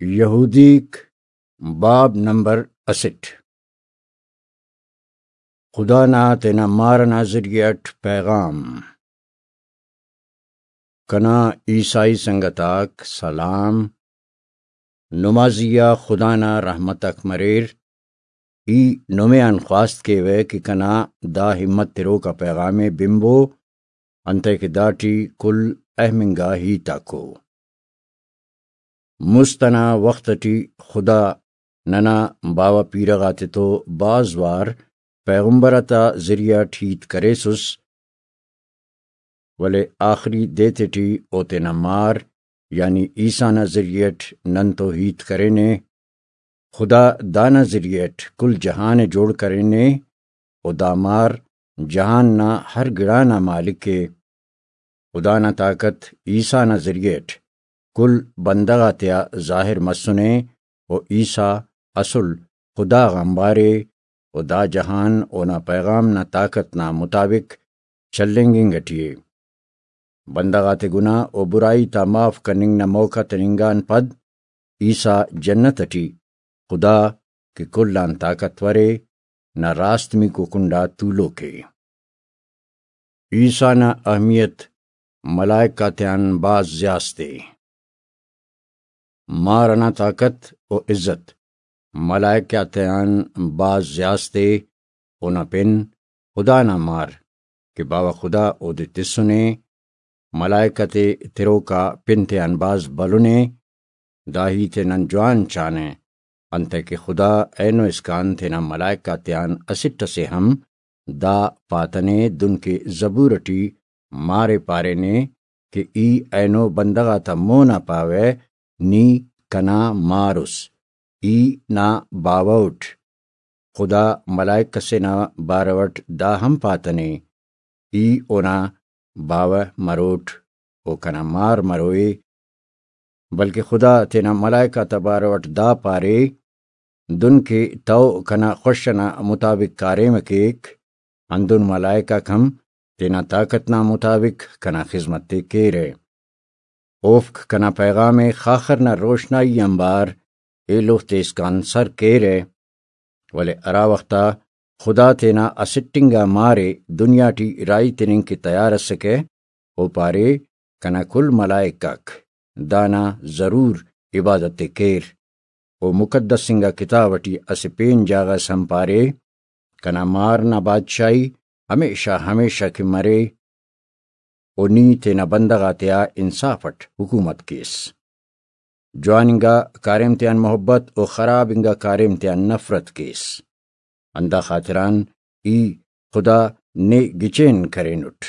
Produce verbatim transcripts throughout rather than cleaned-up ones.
یہودیک، باب نمبر اسٹ۔ خدا نا تینا مار ئنا ذریعہ ئٹ پیغام۔ کنا عیسائی سنگت آک سلام۔ نمازی آ خدا نا رحمت آک مریر۔ ای نمے آن خواست کیوہ کہ کنا دا ہمت تروکا پیغام ءِ بنبو، انتئے کہ داٹی کل اہم انگا ہیت آک ءُ۔ مست ئنا وخت ئٹی خدا ننا باوہ پیرہ غاتتو بھاز وار پیغمبر آتا ذریعہ ئٹ ہیت کریسس، ولے آخری دے تیٹی او تینا مار یعنی عیسیٰ نا ذریعہ ئٹ ننتو ہیت کرینے۔ خدا دانا ذریعہ ئٹ کل جہان ءِ جوڑ کرینے و دا مار جہان نا ہر گڑا نا مالک ءِ۔ خدا نا طاقت عیسیٰ نا ذریعہ ئٹ کل بندغ آتیا ظاہر مسنے و عیسیٰ اسل خدا غان بارے و دا جہان اونا پیغام نا طاقت نا مطابق چلینگ انگ ئٹی ءِ۔ بندغ آتے گناہ و برائی تا معاف کننگ نا موقع تننگان پد عیسیٰ جنت ئٹی خدا کہ کل آن طاقتور ءِ نا راستمیکو کنڈا تولوک ءِ۔ عیسیٰ نا اہمیت ملائک آتیان بھاز زیاست ءِ۔ مار ئنا طاقت و عزت ملائک آتیان بھاز زیاست ءِ۔ اونا پن خدا نا مار کہ باوہ خدا اودے تسنے، ملائک آتے تروکا پن تیان بھاز بھلن ءِ۔ دا ہیت ءِ نن جوان چانہ، انتئے کہ خدا اینو اسکان تینا ملائک آتیان اسٹ ئسے ہم دا پاتنے، دنکہ زبور ئٹی مار ءِ پارینے کہ ای اینو بندغ آتا مون آ پاوہ، نی کنا مار اُس، ای نا باوہ اُٹ۔ خدا ملائک ئسے نا بارو ئٹ دا ہم پاتنے، ای اونا باوہ مروٹ، او کنا مار مروئے۔ بلکہ خدا تینا ملائک آتا بارو ئٹ دا پارے، دن کہ تئو کنا خوش ئنا مطابق کاریم ءِ کیک، ہندن ملائک آک ہم تینا طاقت نا مطابق کنا خذمت ءِ کیرہ۔ اوفک کنا پیغام ءِ خاخر نا روشنائی آنبار ایلوفتے اسکان سر کیرہ۔ ولے ہرا وخت آ خدا تینا اسٹ انگا مار ءِ دنیا ٹی راہی تننگ کہ تیار اسکہ، او پارے، کنا کل ملائک آک دانا ضرور عبادت ءِ کیر۔ او مقدس انگا کتاب ٹی اسہ پین جاگہ اس ہم پارے، کنا مار نا بادشاہی ہمیشہ ہمیشہ کہ مرے، و نی تینا بندغ آتیا انصاف اٹ حکومت کیس۔ جوان انگا کاریم تیان محبت و خراب انگا کاریم تیان نفرت کیس۔ ہندا خاطران ای خدا نے گچین کرینٹ،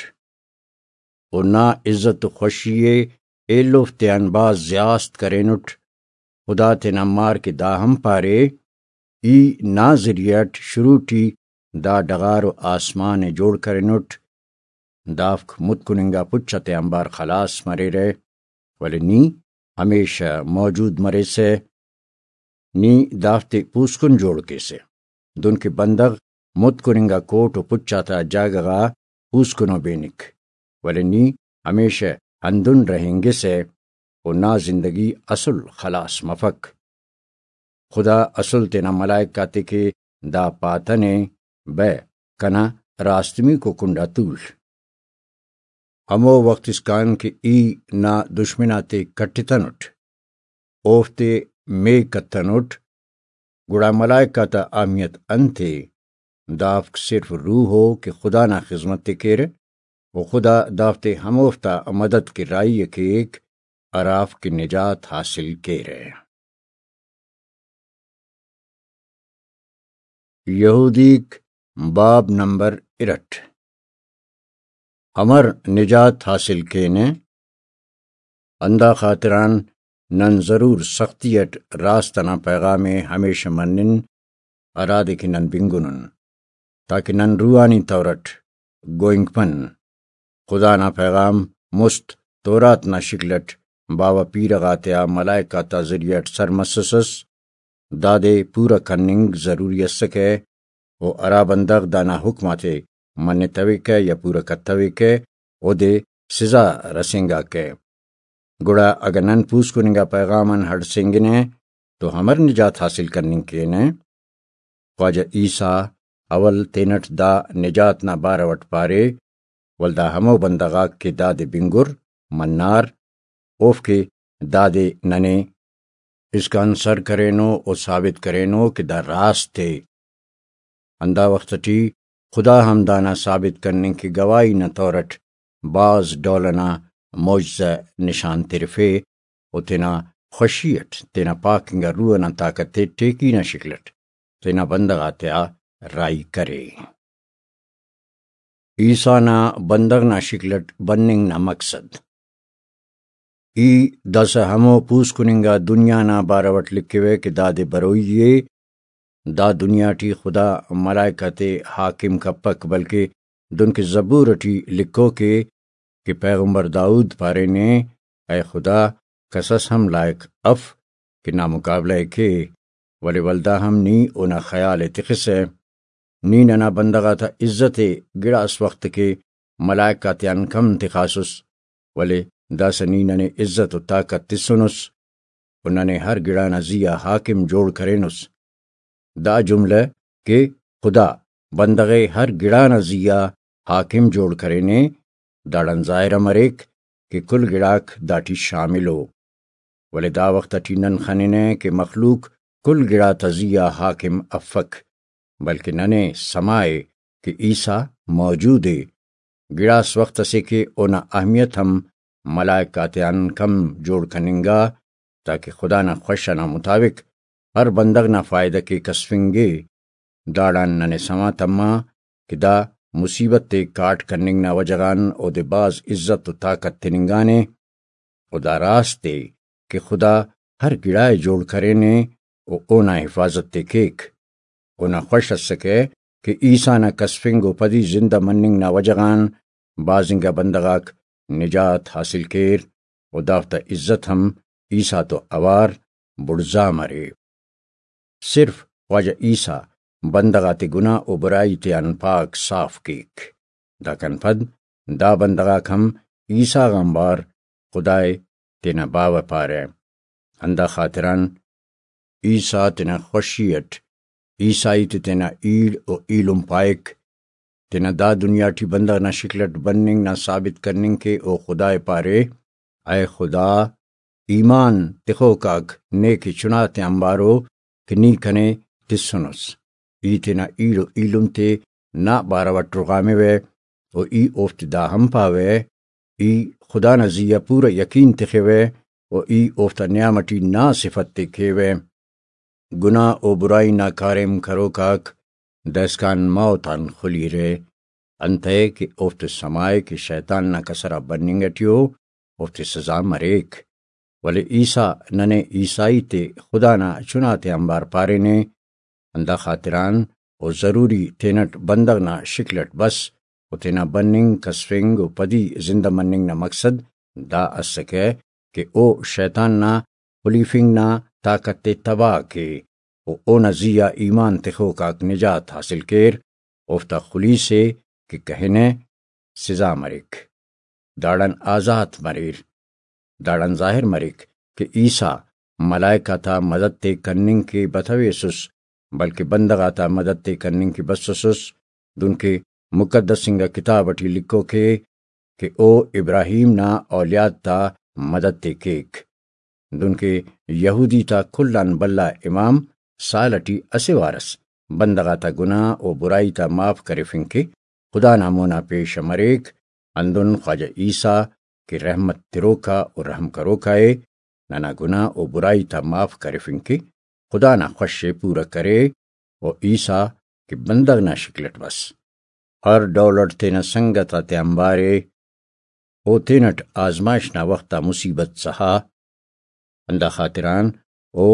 و نا عزت و خوشی ءِ ایلوفتیان بھاز زیاست کرینٹ۔ خدا تینا مار کہ دا ہم پارے، ای نا ذریعہ اٹ شروع ٹی دا ڈغار و آسمان ءِ جوڑ کرینٹ۔ دافک متکن انگا پچ آتے آنبار خلاس مریرہ، ولے نی ہمیشہ موجود مریسہ۔ نی دافتے پوسکن جوڑ کیسہ، دنکہ بندغ متکن انگا کوٹ و پچ آتا جاگہ غا پوسکنو بینک، ولے نی ہمیشہ ہندن رہینگسہ و نا زندگی اسل خلاس مفک۔ خدا اسل تینا ملائک آتے کہ دا پاتنے، بہ کنا راستمیکو کنڈا تول۔ ہمو وخت اسکان کہ ای نا دشمن آتے کٹتنٹ، اوفتے میک کتنٹ، گڑا ملائک آتا اہمیت انت ءِ؟ دافک صرف روح ءُ کہ خدا نا خذمت ءِ کیرہ، و خدا دافتے ہموفتا مدد کہ راہی ءِ کیک، ہرافک کہ نجات حاصل کیرہ۔ یہودیک، باب نمبر ارٹ۔ امر نجات حاصل کینہ؟ ہندا خاطران نن ضرور سختی اٹ راست انا پیغام ءِ ہمیشہ منن، ہرادے کہ نن بنگنن، تاکہ نن روحانی طور اٹ گوئنک پن۔ خدا نا پیغام مست تورات نا شکل اٹ باوہ پیرہ غاتیا ملائک آتا ذریعہ اٹ سر مسسس، دادے پورہ کننگ ضروری اسکہ، و ہرا بندغ دانا حکم آتے منتویکہ یا پورہ کتویکہ، اودے سزا رسینگاکہ۔ گڑا اگہ نن پوسکن انگا پیغام آن ہڑسینگنہ، تو امر نجات حاصل کننگ کینہ؟ خواجہ عیسیٰ اول تینٹ دا نجات نا بارو اٹ پارے، ولدا ہمو بندغ آک کہ دادے بنگر، منار، اوفکہ دادے ننے اسکان سر کرینو و ثابت کرینو کہ دا راست ءِ۔ ہندا وخت ٹی خدا ہم دانا ثابت کننگ کہ گواہی نا طور اٹ بھاز ڈول ئنا معجزہ نشان ترفے و تینا خوشی اٹ تینا پاک انگا روح ئنا طاقت ءِ ٹیکی نا شکل اٹ تینا بندغ آتیا راہی کرے۔ عیسیٰ نا بندغ نا شکل اٹ بننگ نا مقصد۔ ای داسہ ہمو پوسکن انگا دنیا نا بارو اٹ لکھوہ کہ دادے بروئی ءِ۔ دا دنیا ٹی خدا ملائکہ تے حاکم کپک، بلکہ دنکہ زبور ٹی لکھوک ءِ کہ پیغمبر داؤد پارینے، اے خدا، کس اس ہم لائق اف کہ نا مقابلہ ءِ کے، ولے ولدا ہم نی اونا خیال ءِ تخسہ۔ نی ننا بندغ آتا عزت ءِ گڑاس وخت کہ ملائک آتیان کم تخاسس، ولے داسہ نی ننے عزت و طاقت تسنس و ننے ہر گڑا نا زی آ حاکم جوڑ کرینس۔ دا جملہ کہ خدا بندغ ءِ ہر گڑا نا زی آ حاکم جوڑ کرینے، داڑان ظاہر مریک کہ کل گڑاک داٹی شامل ءُ۔ ولے دا وخت ٹی نن خننہ کہ مخلوق کل گڑاتا زی آ حاکم افک، بلکہ ننے سما ءِ کہ عیسیٰ موجود ءِ۔ گڑاس وخت اسے کہ اونا اہمیت ہم ملائک آتیان کم جوڑ کننگا، تاکہ خدا نا خوش ئنا مطابق ہر بندغ نا فائدہ کے کسفنگے۔ داڑان ننے سما تما کہ دا مصیبت تے کاٹ کننگ نا وجہ غان اودے بھاز عزت و طاقت تننگانے، و دا راست ءِ کہ خدا ہر گڑا ءِ جوڑ کرینے و اونا حفاظت تے کیک۔ اونا خوش اسکہ کہ عیسیٰ نا کسفنگ و پدی زندہ مننگ نا وجہ غان بھاز انگا بندغ آک نجات حاصل کیر و دافتا عزت ہم عیسیٰ تو اوار بڑزا مرے۔ صرف خواجہ عیسیٰ بندغ آتے گناہ و برائی تیان پاک صاف کیک۔ داکان پد دا بندغ آک ہم عیسیٰ غان بار خدائے تینا باوہ پارہ۔ ہندا خاطران عیسیٰ تینا خوشی اٹ عیسائی تے تینا ایڑ و ایلم پائک۔ تینا دا دنیا ٹی بندغ نا شکل اٹ بننگ نا ثابت کننگ کہ او خدائے پارے، اے خدا، ایمان تخوک آک نیکہ چناتے آنبارو کہ نی کنے تسنس۔ ای تینا ایڑ و ایلم تے نا بارو اٹ رغاموہ و ای اوفتے دا ہم پاوہ، ای خدا نا زی آ پورا یقین تخوہ و ای اوفتا نیام ٹی نا صفت تے کیوہ۔ گناہ و برائی نا کاریم کروک آک دائسکان موت آن خلیرہ، انتئے کہ اوفتے سما ءِ کہ شیطان نا کسر آ بننگ ٹی ءُ، اوفتے سزا مریک۔ ولے عیسیٰ ننے عیسائی تے خدا نا چناتے آنبار پارینے، ہندا خاطران او ضروری تینٹ بندغ نا شکل اٹ بس و تینا بننگ، کسفنگ و پدی زندہ مننگ نا مقصد دا اسکہ کہ او شیطان نا خلیفنگ نا طاقت تے تباہ کے و اونا زی آ ایمان تخوک آک نجات حاصل کیر، اوفتا خلیس ءِ کہ کہنہ سزا مریک، داڑان آزات مریر۔ داڑان ظاہر مریک کہ عیسیٰ ملائک آتا مدد تے کننگ کہ بتویسس، بلکہ بندغ آتا مدد تے کننگ کہ بسسس، دنکہ مقدس انگا کتاب ٹی لکھوک ءِ کہ او ابراہیم نا اولیاد تا مدد تے کیک۔ دنکہ یہودی تا کل آن بھلا امام سال ٹی اسہ وار ئس بندغ آتا گناہ و برائی تا معاف کرفنگ کہ خدا نا مونا پیش مریک، ہندن خواجہ عیسیٰ کہ رحمت تروکا و رحم کروکا ءِ، ننا گناہ و برائی تا معاف کرفنگ کہ خدا نا خوش ءِ پورا کرے، و عیسیٰ کہ بندغ نا شکل اٹ بس، ہر ڈول اٹ تینا سنگت آتیان بارے، او تینٹ آزمائش نا وخت آ مصیبت سہا، ہندا خاطران او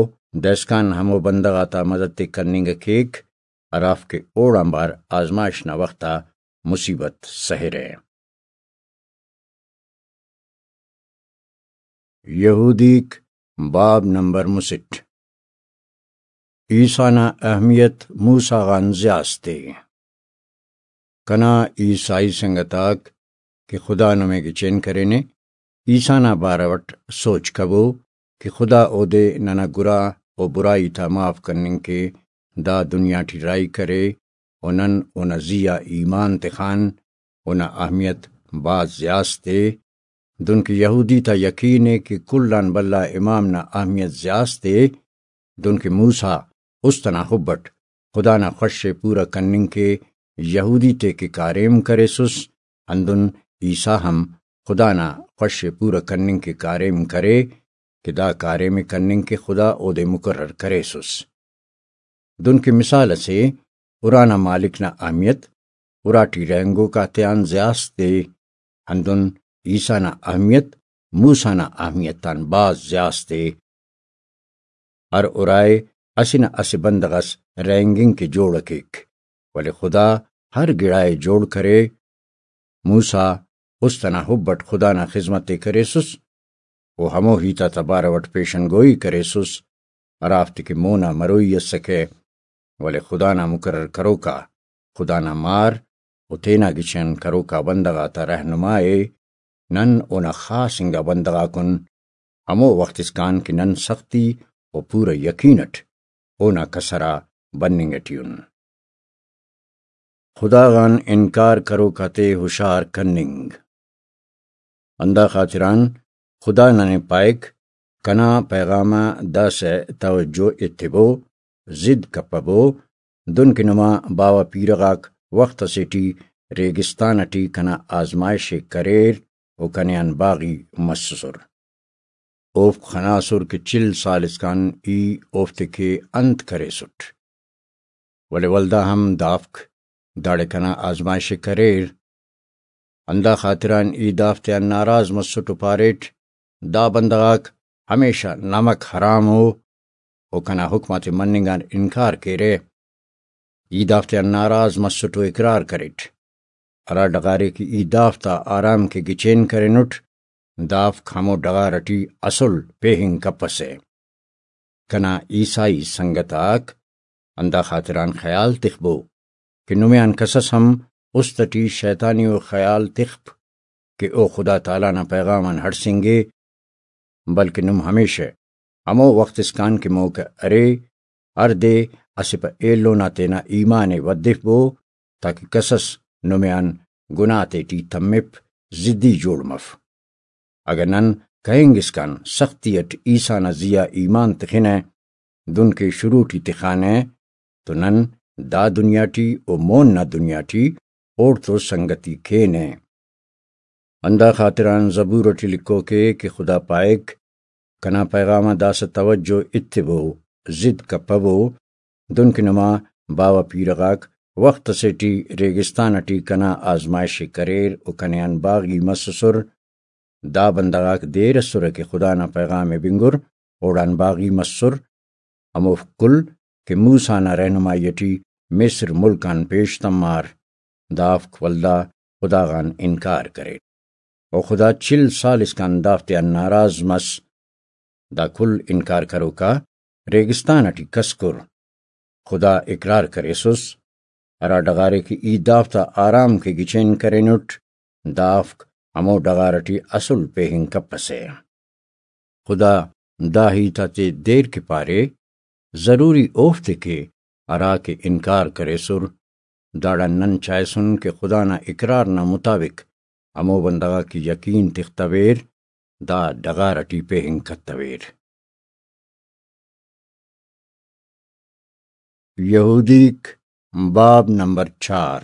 دائسکان ہمو بندغ آتا مدد تے کننگ کیک، ہرافک اوڑان بار آزمائش نا وخت آ مصیبت سہرہ۔ یہودیک، باب نمبر مسٹ۔ عیسیٰ نا اہمیت موسیٰ غان زیاس تے۔ کنا عیسائی سنگت آک کہ خدا نمے گچین کرینے، عیسیٰ نا بارو اٹ سوچ کبو کہ خدا اودے ننا گرا و برائی تا معاف کننگ کے دا دنیا ٹی راہی کرے، و نن اونا زی آ ایمان تخان، اونا اہمیت بھاز زیاست ءِ۔ دنکہ یہودی تا یقین ءِ کہ کل آن بھلا امام نا اہمیت زیاست ءِ۔ دنکہ موسیٰ است ئنا حب اٹ خدا نا خوش ءِ پورا کننگ کے یہودی تیکہ کاریم کریسس، ہندن عیسیٰ ہم خدا نا خوش ءِ پورا کننگ کے کاریم کرے کہ دا کاریم ءِ کننگ کہ خدا اودے مقرر کریسس۔ دنکہ مثال اسے، ارانا مالک نا اہمیت اراٹی رہینگوک آتیان زیاست ءِ، ہندن عیسیٰ نا اہمیت موسیٰ نا اہمیت آن بھاز زیاست ءِ۔ ہر ارائے اسہ نہ اسہ بندغ اس رہینگنگ کہ جوڑ کیک، ولے خدا ہر گڑائے جوڑ کرے۔ موسیٰ است ئنا حب اٹ خدا نا خذمت ءِ کریسس، و ہمو ہیت آتا بارو اٹ پیشن گوئی کریسس، ہرافتے کہ مونا مروئی اسکہ، ولے خدا نا مقرر کروکا، خدا نا مار و تینا گچین کروکا بندغ آتا رہنما ءِ۔ نن اونا خاص انگا بندغ آکن، ہمو وخت اسکان کہ نن سختی و پورا یقین اٹ اونا کسر آ بننگ اٹی ان۔ خدا غان انکار کروک آتے ہشار کننگ۔ ہندا خاطران خدا ننے پائک، کنا پیغام آ داسہ توجہ ایتبو، ضد کپبو، دنکہ نما باوہ پیرہ غاک وخت اسے ٹی ریگستان اٹی کنا آزمائش ءِ کریر و کنے آن باغی مسسر۔ اوفک خناسر کہ چل سال اسکان ای اوفتے کہ انت کریسٹ، ولے ولدا ہم دافک داڑے کنا آزمائش ءِ کریر۔ ہندا خاطران ای دافتیان ناراض مسٹ و پاریٹ، دا بندغ آک ہمیشہ نمک حرام ءُ، و کنا حکم آتے مننگ آن انکار کیرہ۔ ای دافتیان ناراض مسٹ و اقرار کریٹ۔ ہرا ڈغارے کہ ای دافتا آرام کے گچین کرینٹ، دافک ہمو ڈغار ٹی اسل پیہنگ کپسہ۔ کنا عیسائی سنگت آک، ہندا خاطران خیال تخبو کہ نمے آن کسس ہم است ٹی شیطانی و خیال تخپ کہ او خدا تعالی نا پیغام آن ہڑسنگے، بلکہ نم ہمیشہ ہمو وخت اسکان کہ موقع ارے، ہر دے اسہ پہ ایلو نا تینا ایمان ءِ ودفبو، تاکہ کسس نمے آن گناہ تیٹی تمپ، ضدی جوڑ مف۔ اگہ نن کہنگ اسکان سختی اٹ عیسیٰ نا زی آ ایمان تخنہ، دن کہ شروع ٹی تخانہ، تو نن دا دنیا ٹی و مون نا دنیا ٹی اوڑتو سنگتی کینہ۔ ہندا خاطران زبور ٹی لکھوکے کہ خدا پائک، کنا پیغام آ داسہ توجہ ایتبو، ضد کپبو، دنکہ نما باوہ پیرہ غاک وخت اسے ٹی ریگستان ٹی کنا آزمائش ءِ کریر و کنے آن باغی مسسر۔ دا بندغ آک دیر اسرہ کہ خدا نا پیغام ءِ بنگر، اوڑان باغی مسر۔ ہموفک کل کہ موسیٰ نا رہنمائی ٹی مصر ملک آن پیش تمار، دافک ولدا خدا غان انکار کریر۔ و خدا چل سال اسکان دافتیان ناراض مس۔ دا کل انکار کروکا ریگستان ٹی کسکر۔ خدا اقرار کریسس، ہرا ڈغارے کہ ای دافتا آرام کے گچین کرینٹ، دافک ہمو ڈغار ٹی اسل پیہنگ کپسہ۔ خدا دا ہیت آتے دیر کہ پارے، ضروری اوفتے کہ ہرا کہ انکار کریسر۔ داڑان نن چائسن کہ خدا نا اقرار نا مطابق ہمو بندغ آک یقین تختویر، دا ڈغار ٹی پیہنگ کتویر۔ یہودیک، باب نمبر چار۔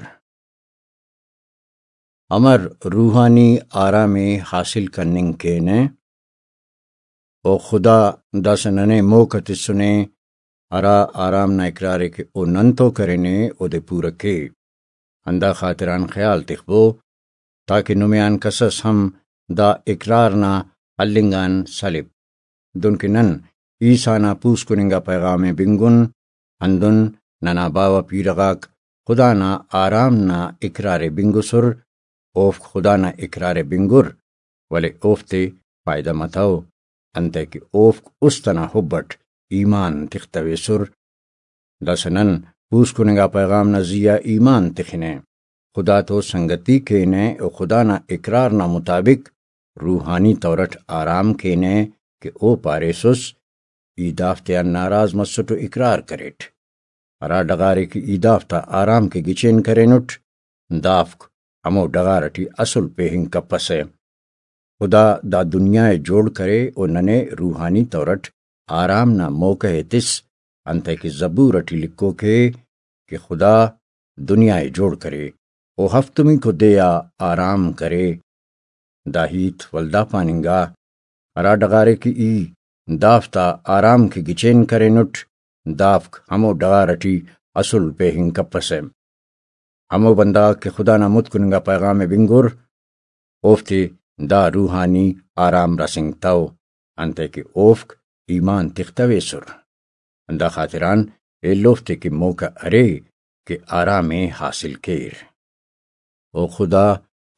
امر روحانی آرام ءِ حاصل کننگ کینہ، و خدا داسہ ننے موقع تسنے، ہرا آرام نا اقرار ءِ کہ او نن تو کرینے، اودے پورہ کے۔ ہندا خاطران خیال تخبو، تاکہ نمے آن کسس ہم دا اقرار نا ہلنگ آن سلپ۔ دنکہ نن عیسیٰ نا پوسکن انگا پیغام ءِ بنگن، ہندن ننا باوہ پیرہ غاک خدا نا آرام نا اقرار ءِ بنگسر، اوفک خدا نا اقرار ءِ بنگر، ولے اوفتے فائدہ متو، انتئے کہ اوفک است ئنا حب اٹ ایمان تختویسر۔ داسہ نن پوسکن انگا پیغام نا زی آ ایمان تخنہ، خدا تو سنگتی کینہ و خدا نا اقرار نا مطابق روحانی طور اٹ آرام کینہ کہ او پاریسس، ای دافتیان ناراض مسٹ و اقرار کریٹ۔ ہرا ڈغارے کہ ای دافتا آرام کہ گچین کرینٹ، دافک ہمو ڈغار ٹی اسل پیہنگ کپسہ۔ خدا دا دنیا ءِ جوڑ کرے و ننے روحانی طور اٹ آرام نا موقع ءِ تس، انتئے کہ زبور اٹی لکھوک ءِ کہ خدا دنیا ءِ جوڑ کرے و ہفتمیکو دے آ آرام کرے۔ دا ہیت ولدا پاننگا، ہرا ڈغارے کہ ای دافتا آرام کہ گچین کرینٹ، دافک ہمو ڈغار اٹی اسل پیہنگ کپسہ۔ ہمو بندغ آک کہ خدا نا متکن انگا پیغام ءِ بنگر، اوفتے دا روحانی آرام رسینگتو، انتئے کہ اوفک ایمان تختویسر۔ ہندا خاطران ایلوفتے کہ موقع ارے کہ آرام ءِ حاصل کیر۔ او خدا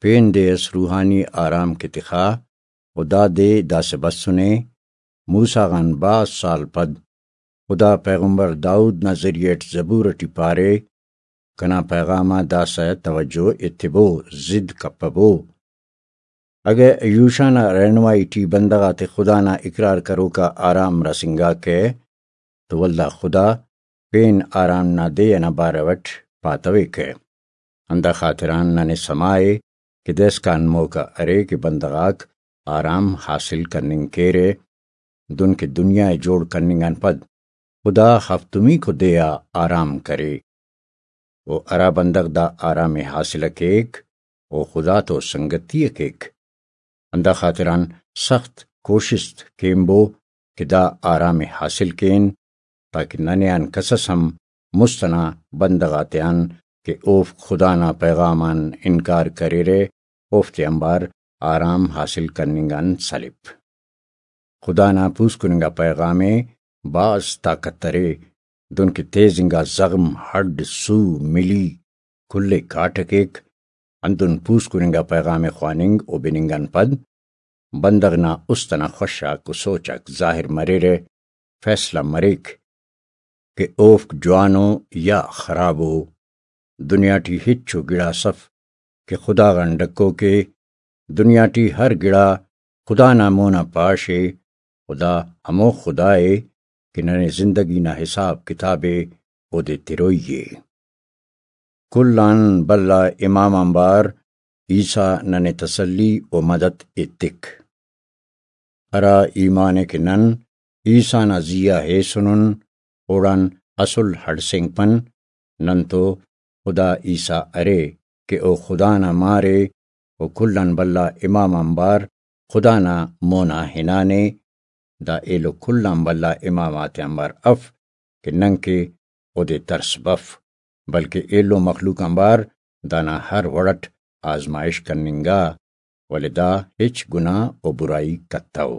پین دے اس روحانی آرام کہ تخا، و دا دے داسہ بسنے، موسیٰ غان بھاز سال پد خدا پیغمبر داؤد نا ذریعہ اٹ زبور اٹی پارے، کنا پیغام آ داسہ توجہ ایتبو، ضد کپبو۔ اگہ یوشع نا رہنمائی ٹی بندغ آتے خدا نا اقرار کروک آ آرام رسینگاکہ، تو ولدا خدا پین آرام نا دے ئنا بارو اٹ پاتویکہ۔ ہندا خاطران ننے سما ءِ کہ داسکان موقع ارے کہ بندغ آک آرام حاصل کننگ کیرہ، دن کہ دنیا ءِ جوڑ کننگ آن پد خدا ہفتمیکو دے آ آرام کرے۔ و ہرا بندغ دا آرام ءِ حاصل ءِ کیک، او خدا تو سنگتی ءِ کیک۔ ہندا خاطران سخت کوشست کینبو کہ دا آرام ءِ حاصل کین، تاکہ ننے آن کس اس ہم مست ئنا بندغ آتیان کہ اوفک خدا نا پیغام آن انکار کریرہ، اوفتے آنبار آرام حاصل کننگ آن سلپ۔ خدا نا پوسکن انگا پیغام ءِ بھاز طاقت ارے، دنکہ تیز انگا زغم، ہڈ، سو، ملی، کل ءِ کاٹہ کیک۔ ہندن پوسکن انگا پیغام ءِ خواننگ و بننگ آن پد بندغ نا است ئنا خوش آک و سوچ آک ظاہر مریرہ، فیصلہ مریک کہ اوفک جوانو یا خرابو۔ دنیا ٹی ہچو گڑاس اف کہ خدا غان ڈکوک ءِ۔ دنیا ٹی ہر گڑا خدا نا مون آ پاش ءِ۔ خدا ہمو خدا ءِ کہ ننے زندگی نا حساب کتاب ءِ اودے تروئی ءِ۔ کل آن بھلا امام آنبار عیسیٰ ننے تسلی و مدد ایتک۔ ہرا ایمان ءِ کہ نن عیسیٰ نا زی آ ہیسنن، اوڑان اسل ہڑسینگپن۔ نن تو خدا عیسیٰ ارے کہ او خدا نا مار ءِ، و کل آن بھلا امام آنبار خدا نا مون آ ہنانے۔ دا ایلو کل آن بھلا امام آتے آنبار اف کہ ننکہ اودے ترس بف، بلکہ ایلو مخلوق آنبار دانا ہر وڑ اٹ آزمائش کننگا، ولے دا ہچ گناہ و برائی کتو۔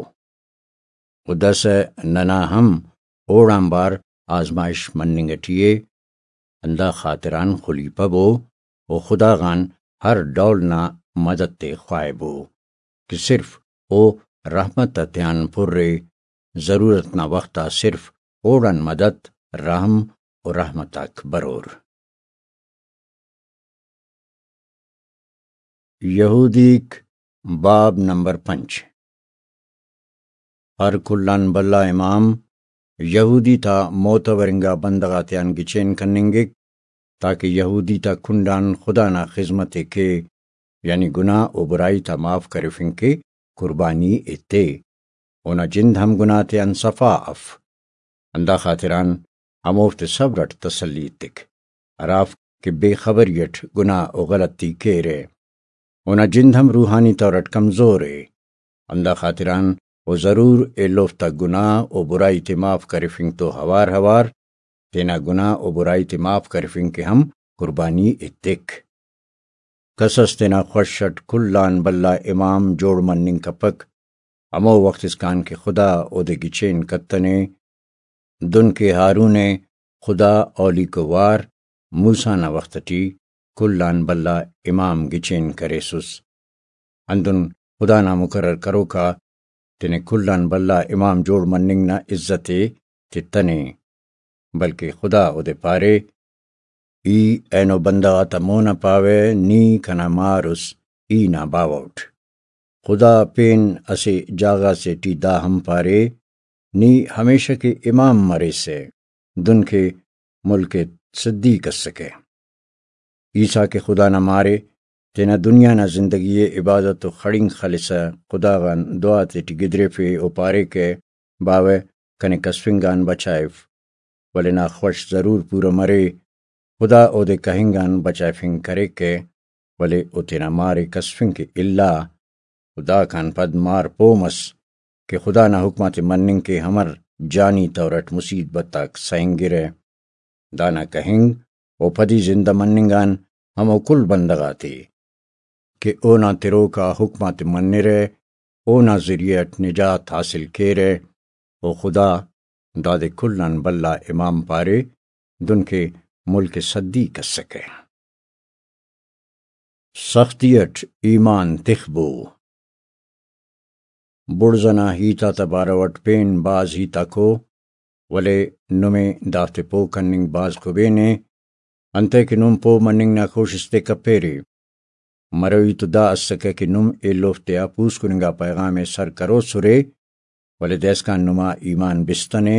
و داسہ ننا ہم اوڑانبار آزمائش مننگ اٹی ءِ، ہندا خاطران خلیپبو و خدا غان ہر ڈول نا مدد تے خواہبو کہ صرف او رحمت آتیان پرے، ضرورت نا وخت آ صرف اوڑان مدد، رحم و رحمت آک برور۔ یہودیک، باب نمبر پنچ۔ ہر کل آن بھلا امام یہودی تا معتبر انگا بندغ آتیان گچین کننگک، تاکہ یہودی تا کنڈ آن خدا نا خذمت ءِ کے، یعنی گناہ و برائی تا معاف کرفنگ کے قربانی ایتے۔ اونا جند ہم گناہ تیان صفا اف۔ ہندا خاطران ہموفتے صبر اٹ تسلی ایتک، ہرافک کہ بے خبری اٹ گناہ و غلطی کیرہ۔ اونا جند ہم روحانی طور اٹ کمزور ءِ۔ ہندا خاطران او ضرور ایلوفتا گناہ و برائی تے معاف کرفنگ تو ہوار ہوار تینا گناہ و برائی تے معاف کرفنگ کہ ہم قربانی ایتک۔ کس اس تینا خوش اٹ کل آن بھلا امام جوڑ مننگ کپک، ہمو وخت اسکان کہ خدا اودے گچین کتنے۔ دن کہ ہارون ءِ خدا اولیکو وار موسیٰ نا وخت ٹی کل آن بھلا امام گچین کریسس۔ ہندن خدا نا مقرر کروکا تینے کل آن بھلا امام جوڑ مننگ نا عزت ءِ تتنے، بلکہ خدا اودے پارے، ای اینو بندغ آتا مون آ پاوہ، نی کنا مار اس، ای نا باوہ اٹ۔ خدا پین اسہ جاگہ سے ٹی دا ہم پارے، نی ہمیشہ کہ امام مریسہ، دن کہ ملک صدیق اسکہ۔ عیسیٰ کہ خدا نا مارے، تینا دنیا نا زندگی ءِ عبادت و خڑینک خلسہ خدا غان دعا تیٹی گدریفے و پارے کہ، باوہ، کنے کسفنگ آن بچائف، ولے نا خوش ضرور پورہ مرے۔ خدا اودے کہنگ آن بچائفنگ کریکہ، ولے او تینا مارے کسفنگ کہ الا۔ و داکان پد مار پہہ مس کہ خدا نا حکم آتے مننگ کہ امر جانی طور اٹ مصیبت آک سہنگرہ۔ دانا کہنگ و پدی زندہ مننگ آن ہمو کل بندغ آتے کہ اونا تروکا حکم آتے منرہ، اونا ذریعہ اٹ نجات حاصل کیرہ، و خدا دادے کل آن بھلا امام پارے، دنکہ ملک صدیق اسکہ۔ سختی اٹ ایمان تخبو۔ بڑز ئنا ہیت آتا بارو اٹ پین بھاز ہیتاک ءُ، ولے نمے دافتے پہہ کننگ بھاز کبین ءِ، انتئے کہ نم پہہ مننگ نا کوشست ءِ کپیرے۔ مروئی تو دا اسکہ کہ نم ایلوفتے آ پوسکن انگا پیغام ءِ سر کروسرے، ولے دائسکان نما ایمان بستنے،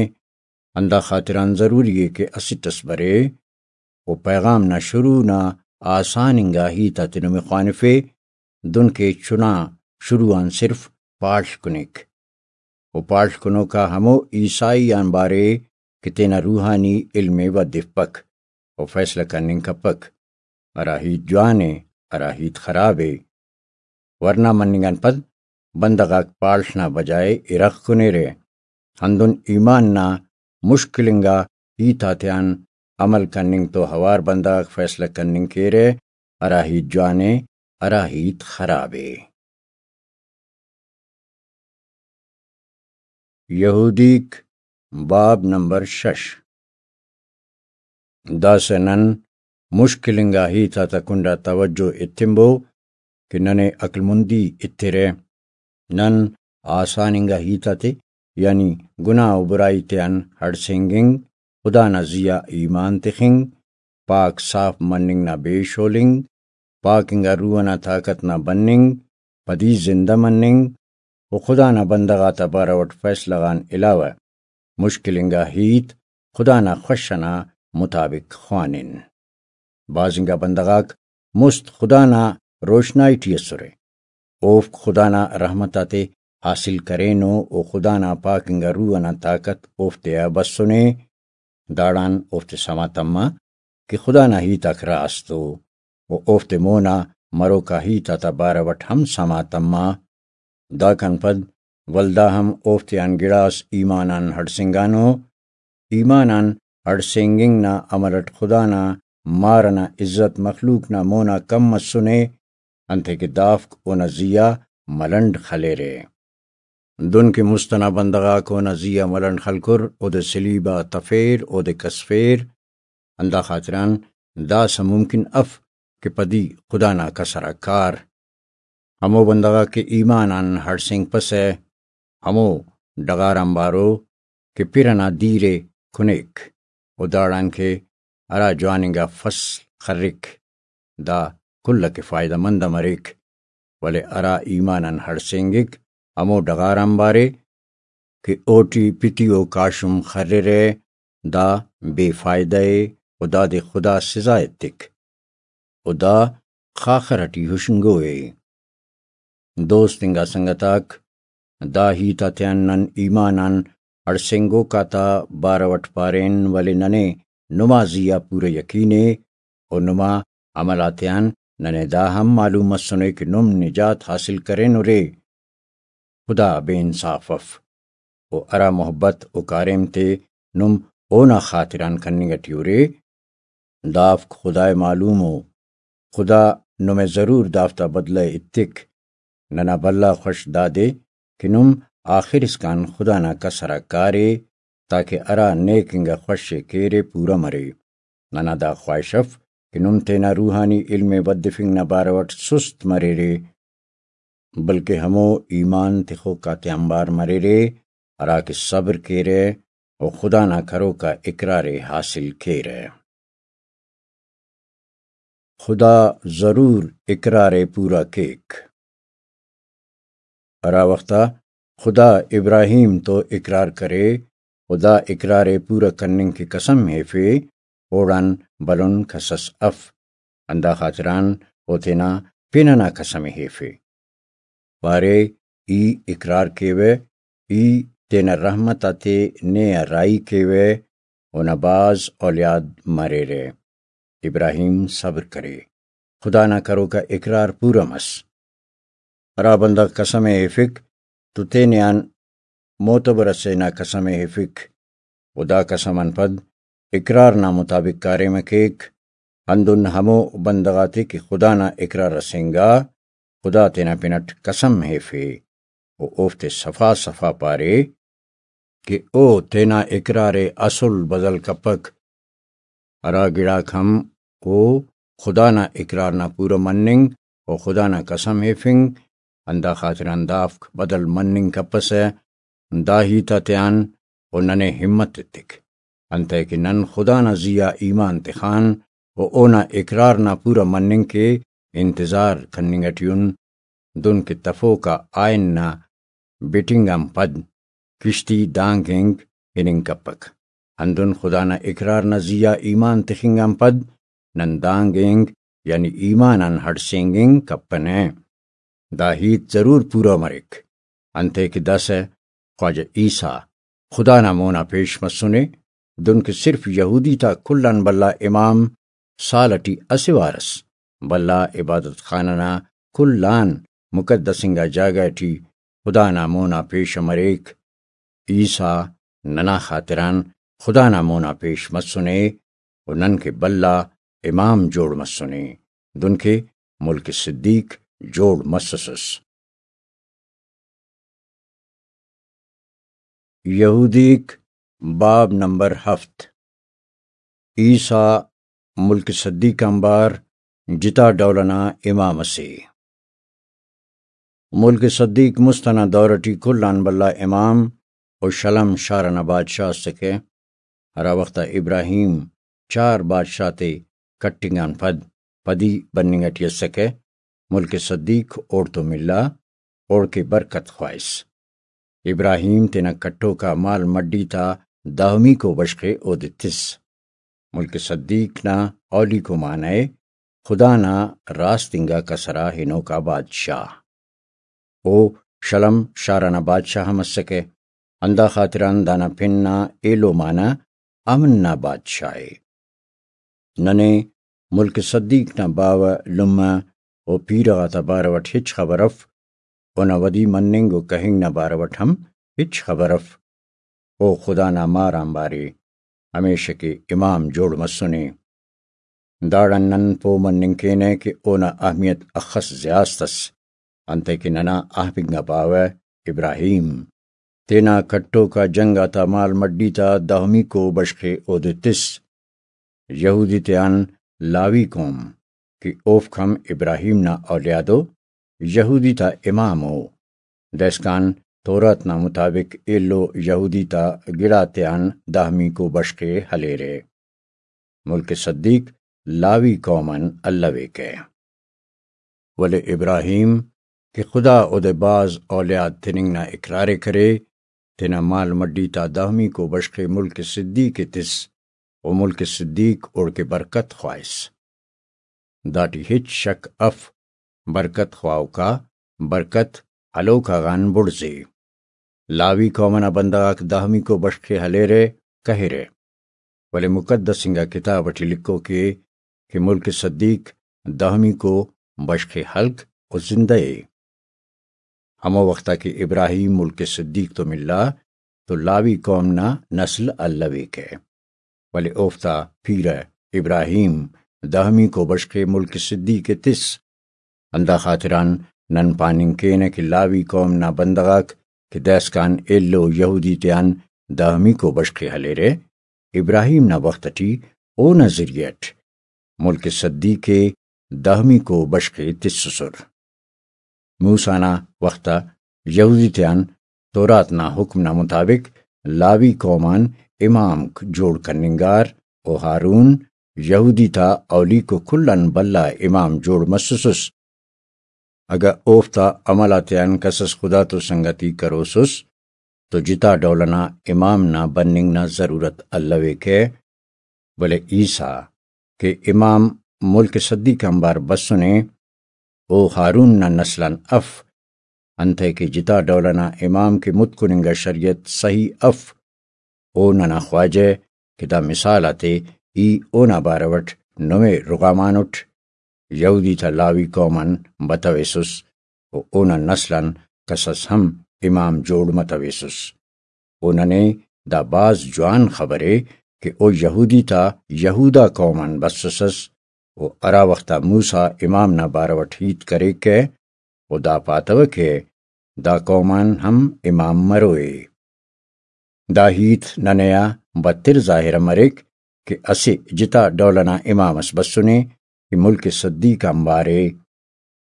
ہندا خاطران ضروری ءِ کہ اسٹ اس برے و پیغام نا شروع نا آسان انگا ہیت آتے نمے خوانفے، دنکہ چنا شروع آن صرف پاڷ کنیک۔ و پاڷ کنوکا ہمو عیسائی آن بارے کہ تینا روحانی علم ءِ ودفپک و فیصلہ کننگ کپک، ہرا ہیت جوان ءِ، ہرا ہیت خراب ءِ۔ ورنا مننگ آن پد بندغ آک پاڷ نا بجائے ارغ کنیرہ۔ ہندن ایمان نا مشکل انگا ہیت آتیان عمل کننگ تو اوار بندغ آک فیصلہ کننگ کیرہ، ہرا ہیت جوان ءِ، ہرا ہیت خراب ءِ۔ یہودیک، باب نمبر شش۔ داسہ نن مشکل انگا ہیت آتا کنڈا توجہ ایتنبو کہ ننے عقلمندی ایترہ۔ نن آسان انگا ہیت آتے، یعنی گناہ و برائی تیان ہڑسینگنگ، خدا نا زی آ ایمان تخنگ، پاک صاف مننگ نا بے شولنگ، پاک انگا روح ئنا طاقت نا بننگ، پدی زندہ مننگ و خدا نا بندغ آتا بارو اٹ فیصلہ غان علاوہ مشکل انگا ہیت خدا نا خوش ئنا مطابق خوانن۔ بھاز انگا بندغ آک مست خدا نا روشنائی ٹی اسرہ، اوفک خدا نا رحمت آتے حاصل کرینو و خدا نا پاک انگا روح ئنا طاقت اوفتے آ بسنے، داڑان اوفتے سما تما کہ خدا نا ہیت آک راست ءُ، و اوفتے مونا مروکا ہیت آتا بارو اٹ ہم سما تما۔ داکان پد ولدا ہم اوفتیان گڑاس ایمان آن ہڑسینگانو۔ ایمان آن ہڑسینگنگ نا عمل اٹ خدا نا مار ئنا عزت مخلوق نا مونا کم مسنے، انتئے کہ دافک اونا زی آ ملنڈ خلیرہ۔ دن کہ مست ئنا بندغ آک اونا زی آ ملنڈ خلکر، اودے سلیب آ تفیر، اودے کسفیر۔ ہندا خاطران داسہ ممکن اف کہ پدی خدا نا کسر آ کار۔ ہمو بندغ آک کہ ایمان آن ہڑسینگپسہ، ہمو ڈغار آنبارو کہ پِر ئنا دیر ءِ کنیک و داڑان کہ ہرا جوان انگا فصل خرک، دا کل ئکہ فائدہ مند مریک، ولے ہرا ایمان آن ہڑسینگک، ہمو ڈغار آنبارے کہ اوٹی پتی و کاشم خررہ، دا بے فائدہ ءِ و دادے خدا سزا ایتک۔ و دا خاخر ئٹی ہشنگو ءِ۔ دوست انگا سنگت آک، دا ہیت آتیان نن ایمان آن ہڑسینگوک آتا بارو اٹ پارین، ولے ننے نما زی آ پورہ یقین ءِ و نما عمل آتیان ننے دا ہم معلوم مسنے کہ نم نجات حاصل کرینرے۔ خدا بے انصاف اف، و ہرا محبت و کاریم تے نم اونا خاطران کننگ ٹی ارے، دافک خدائے معلوم ءُ۔ خدا نمے ضرور دافتا بدلہ ایتک۔ ننا بھلا خوش دادے کہ نم آخر اسکان خدا نا کسر آ کارے، تاکہ ہرا نیک انگا خوش ءِ کیرے پورہ مرے۔ ننا دا خواہش اف کہ نم تینا روحانی علم ءِ ودفنگ نا بارو اٹ سست مریرے، بلکہ ہمو ایمان تخوک آتے آنبار مریرے، ہراکہ صبر کیرہ و خدا نا کروک آ اقرار ءِ حاصل کیرہ۔ خدا ضرور اقرار ءِ پورا کیک۔ ہرا وخت آ خدا ابراہیم تو اقرار کرے و دا اقرار ءِ پورہ کننگ کہ قسم ہیفے، اوڑان بھلن کس اس اف، ہندا خاطران او تینا پن ئنا قسم ءِ ہیفے۔ پارے، ای اقرار کیوہ، ای تینا رحمت آتے نے آ راہی کیوہ، اونا بھاز اولیاد مریرہ۔ ابراہیم صبر کرے۔ خدا نا کروکا اقرار پورا مس۔ ہرا بندغ قسم ءِ ہیفک تو تینے آن معتبر اسے نا قسم ءِ ہیفک، و دا قسم آن پد اقرار نا مطابق کاریم ءِ کیک، ہندن ہمو بندغ آتے کہ خدا نا اقرار اس انگا، خدا تینا پن اٹ قسم ہیفے و اوفتے صفا صفا پارے کہ او تینا اقرار ءِ اسل بدل کپک۔ ہرا گڑاک ہم او خدا نا اقرار نا پورا مننگ و خدا نا قسم ہیفنگ، ہندا خاطران دافک بدل مننگ کپسہ۔ دا ہیت آتیان او ننے ہمت ایتک، انتئے کہ نن خدا نا زی آ ایمان تخان و اونا اقرار نا پورا مننگ کے انتظار کننگ اٹی ان، دن کہ تفوک آ آئن نا بٹنگ آن پد کشتی دانگ اینگ ہننگ کپک۔ ہندن خدا نا اقرار نا زی آ ایمان تخنگ آن پد نن دانگ اینگ یعنی ایمان آن ہڑسینگ انگ کپنہ۔ دا ہیت ضرور پورا مریک، انتئے کہ داسہ خواجہ عیسیٰ خدا نا مونا پیش مسنے، دن کہ صرف یہودی تا کل آن بھلا امام سال اٹی اسہ وار ئس بھلا عبادت خانہ نا کل آن مقدس انگا جاگہ ٹی خدا نا مونا پیش مریک۔ عیسیٰ ننا خاطران خدا نا مونا پیش مسنے و نن کہ بھلا امام جوڑ مسنے، دن کہ ملک صدیق جوڑ مسسس۔ یہودیک، باب نمبر ہفت۔ عیسیٰ ملک صدیق آنبار جتا ڈول ئنا امام ئسے۔ ملک صدیق مست ئنا دور ٹی کل آن بھلا امام و شلم شار ئنا بادشاہ ئسکہ، ہرا وخت آ ابراہیم چار بادشاہ تے کٹنگ آن پد پدی بننگ ٹی اسکہ، ملک صدیق اوڑتون ملا، اوڑکہ برکت خواہس۔ ابراہیم تینا کٹوکا مال مڈی تا دہمیکو بشخ ءِ اودے تس۔ ملک صدیق نا اولیکو معنہ ءِ خدا نا راست انگا کسرا ہنوکا بادشاہ۔ او شلم شار ئنا بادشاہ ہم اسکہ، ہندا خاطران دانا پن نا ایلو معنہ امن نا بادشاہ ءِ۔ ننے ملک صدیق نا باوہ لمہ و پیرہ غاتا بارو اٹ ہچ خبر اف، اونا ودی مننگ و کہنگ نا بارو اٹ ہم ہچ خبر اف۔ او خدا نا مار آنبارے، ہمیشہ کہ امام جوڑ مسنے۔ داڑان نن پہہ مننگ کینہ کہ اونا اہمیت اخس زیات ئس، انتئے کہ ننا اہب انگا باوہ ابراہیم تینا کٹوکا جنگ آتا مال مڈی تا دہمیکو بشخ ءِ اودے تس۔ یہودی تیان لاوی قوم کہ اوفک ہم ابراہیم نا اولیاد ءُ، یہودی تا امام ءُ، دائسکان تورات نا مطابق ایلو یہودی تا گڑاتیان دہمیکو بشخ ءِ ہلیرہ۔ ملک صدیق لاوی قوم آن الویکہ۔ ولے ابراہیم کہ خدا اودے بھاز اولیاد تننگ نا اقرار ءِ کرے، تینا مال مڈی تا دہمیکو بشخ ءِ ملک صدیق ءِ تس و ملک صدیق اوڑکہ برکت خواہس۔ داٹی ہچ شک اف، برکت خواہوکا برکت ہلوکا غان بڑزے۔ لاوی قوم ئنا بندغاک دہمیکو بشخ ءِ ہلیرہ، کہیرہ، ولے مقدس انگا کتاب ٹی لکھوک ءِ کہ ملک صدیق دہمیکو بشخ ءِ ہلک و زندہ ءِ۔ ہمو وخت آ کہ ابراہیم ملک صدیق تو ملا تو لاوی قوم نا نسل الویکہ، ولے اوفتا پیرہ ابراہیم دہمیکو بشخ ءِ ملک صدیق ءِ تس۔ ہندا خاطران نن پاننگ کینہ کہ لاوی قوم نا بندغاک کہ دائسکان ایلو یہودی تیان دہمیکو بشخ ءِ ہلیرہ، ابراہیم نا وخت ٹی اونا ذریعہ اٹ ملک صدیق ءِ دہمیکو بشخ ءِ تسسر۔ موسیٰ نا وخت آ یہودی تیان تورات نا حکم نا مطابق لاوی قوم آن امامک جوڑ کننگار و ہارون یہودی تا اولیکو کل آن بھلا امام جوڑ مسسس۔ اگہ اوفتا عمل آتیان کسس خدا تو سنگتی کروسس تو جتا ڈول ئنا امام نا بننگ نا ضرورت الویکہ، ولے عیسیٰ کہ امام ملک صدیق آنبار بسنے، او ہارون نا نسل آن اف، انتئے کہ جتا ڈول ئنا امام کہ متکن انگا شریعت صحیح اف، او ننا خواجہ کہ دا مثال آتے ای اونا بارو اٹ نمے رغامانٹ، یہودی تا لاوی قوم آن بتویسس و اونا نسل آن کسس ہم امام جوڑ متویسس۔ و ننے دا بھاز جوان خبرے کہ او یہودی تا یہودا قوم آن بسسس و ہرا وختا موسیٰ امام نا بارو اٹ ہیت کریکہ و دا پاتوکہ دا قوم آن ہم امام مروئے۔ دا ہیت ننے آ بتر ظاہر مریک کہ اسہ جتا ڈول ئنا امام اس بسنے کہ ملک صدیق آنبارے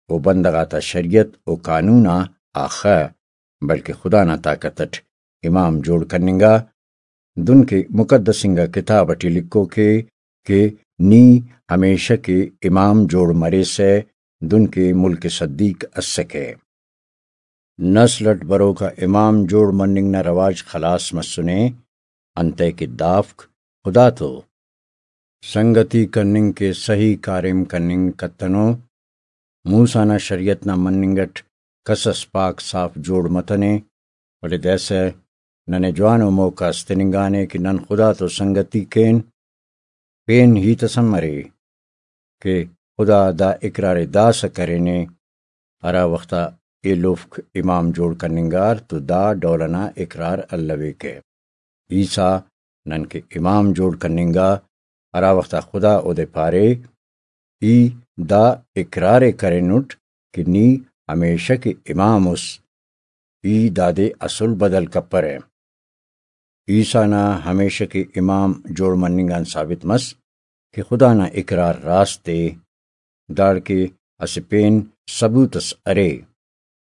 و بندغ آتا شریعت و قانون آ آخہ، بلکہ خدا نا طاقت اٹ امام جوڑ کننگا، دن کہ مقدس انگا کتاب اٹی لکھوکے کہ نی ہمیشہ کہ امام جوڑ مریسہ، دن کہ ملک صدیق اسکہ۔ نسل اٹ بروکا امام جوڑ مننگ نا رواج خلاس مسنے، انتئے کہ دافک خدا تو سنگتی کننگ کہ سہی کاریم کننگ کتنو۔ موسیٰ نا شریعت نا مننگ اٹ کسس پاک صاف جوڑ متنے، ولے داسہ ننے جوانو موقع اس تننگانے کہ نن خدا تو سنگتی کین۔ پین ہیت اس ہم ارے کہ خدا دا اقرار ءِ داسہ کرینے، ہرا وخت آ ایلوفک امام جوڑ کننگار تو دا ڈول ئنا اقرار الویکہ۔ عیسیٰ ننکہ امام جوڑ کننگا، ہرا وخت آ خدا اودے پارے، ای دا اقرار ءِ کرینٹ کہ نی ہمیشہ کہ امام اس، ای دادے اسل بدل کپرہ۔ عیسیٰ نا ہمیشہ کہ امام جوڑ مننگ آن ثابت مس کہ خدا نا اقرار راست ءِ۔ داڑکہ اسہ پین ثبوت اس ارے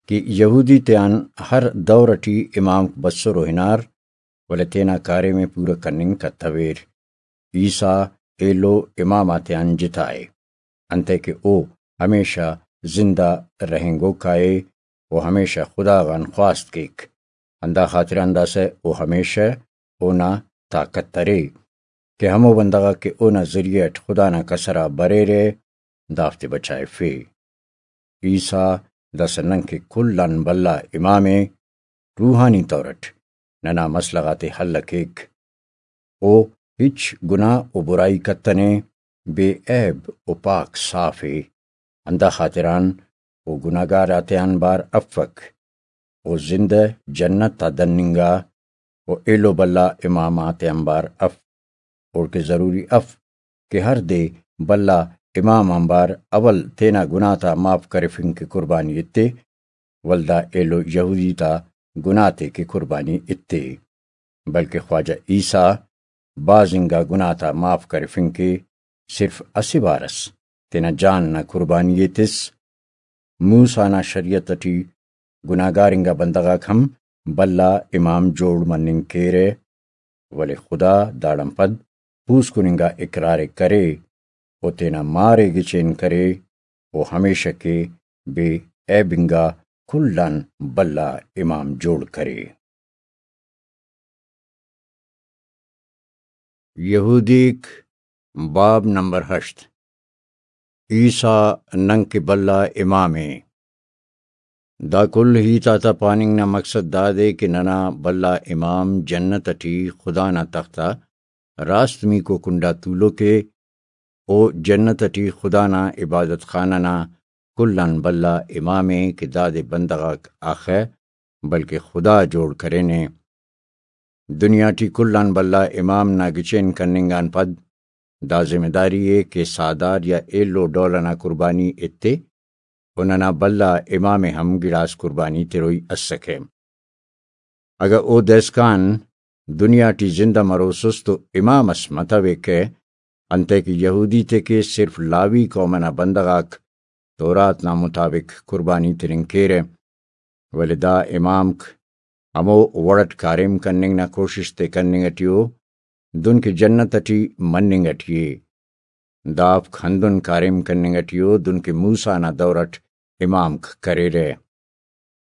کہ یہودی تیان ہر دور ٹی امام بسر و ہنار، ولے تینا کاریم ءِ پورہ کننگ کتویر۔ عیسیٰ ایلو امام آتیان جتا ءِ، انتئے کہ او ہمیشہ زندہ رہینگوکا ءِ و ہمیشہ خدا غان خواست کیک۔ ہندا خاطران داسہ او ہمیشہ اونا طاقت ارے کہ ہمو بندغ آک کہ اونا ذریعہ اٹ خدا نا کسر آ بریرہ، دافتے بچائفے۔ عیسیٰ داسہ ننکہ کل آن بھلا امام ءِ، روحانی طور اٹ ننا مسئلہ غاتے حل کیک۔ او ہچ گناہ و برائی کتنے، بے عیب و پاک صاف ءِ، ہندا خاطران او گناہگار آتیان بار افک۔ او زندہ جنت آ دننگا و ایلو بھلا امام آتیان بار اف۔ اوڑکہ ضروری اف کہ ہر دے بھلا امام آنبار اول تینا گناہ تا معاف کرفنگ کہ قربانی ایتے، ولدا ایلو یہودی تا گناہ تے کہ قربانی ایتے، بلکہ خواجہ عیسیٰ بھاز انگا گناہ تا معاف کرفنگ کہ صرف اسہ بار اس تینا جان نا قربانی ءِ تس۔ موسیٰ نا شریعت ٹی گناہگار انگا بندغ آک ہم بھلا امام جوڑ مننگ کیرہ، ولے خدا داڑان پد پوسکن انگا اقرار ءِ کرے و تینا مار ءِ گچین کرے و ہمیشہ کہ بے عیب انگا کل آن بھلا امام جوڑ کرے۔ یہودیک، باب نمبر ہشت۔ عیسیٰ ننکہ بھلا امام ءِ۔ دا کل ہیت آتا پاننگ نا مقصد دادے کہ ننا بھلا امام جنت ٹی خدا نا تخت آ راست میکو کنڈا تولوک ءِ۔ او جنت ٹی خدا نا عبادت خانہ نا کل آن بھلا امام ءِ کہ دادے بندغ آک آخہ، بلکہ خدا جوڑ کرینے۔ دنیا ٹی کل آن بھلا امام نا گچین کننگ آن پد دا ذمہ داری ءِ کہ ساہدار یا ایلو ڈول ئنا قربانی ایتے و ننا بھلا امام ءِ ہم گڑاس قربانی تروئی اسکہ۔ اگہ او دائسکان دنیا ٹی زندہ مروسس تو امام اس متویکہ، انتئے کہ یہودی تے کہ صرف لاوی قوم ئنا بندغ آک تورات نا مطابق قربانی تننگ کیرہ، ولے دا امامک ہمو وڑ اٹ کاریم کننگ نا کوشست ءِ کننگ ٹی ءُ، دن کہ جنت ٹی مننگ ٹی ءِ۔ دافک ہندن کاریم کننگ ٹی ءُ دن کہ موسیٰ نا دور اٹ امامک کریرہ۔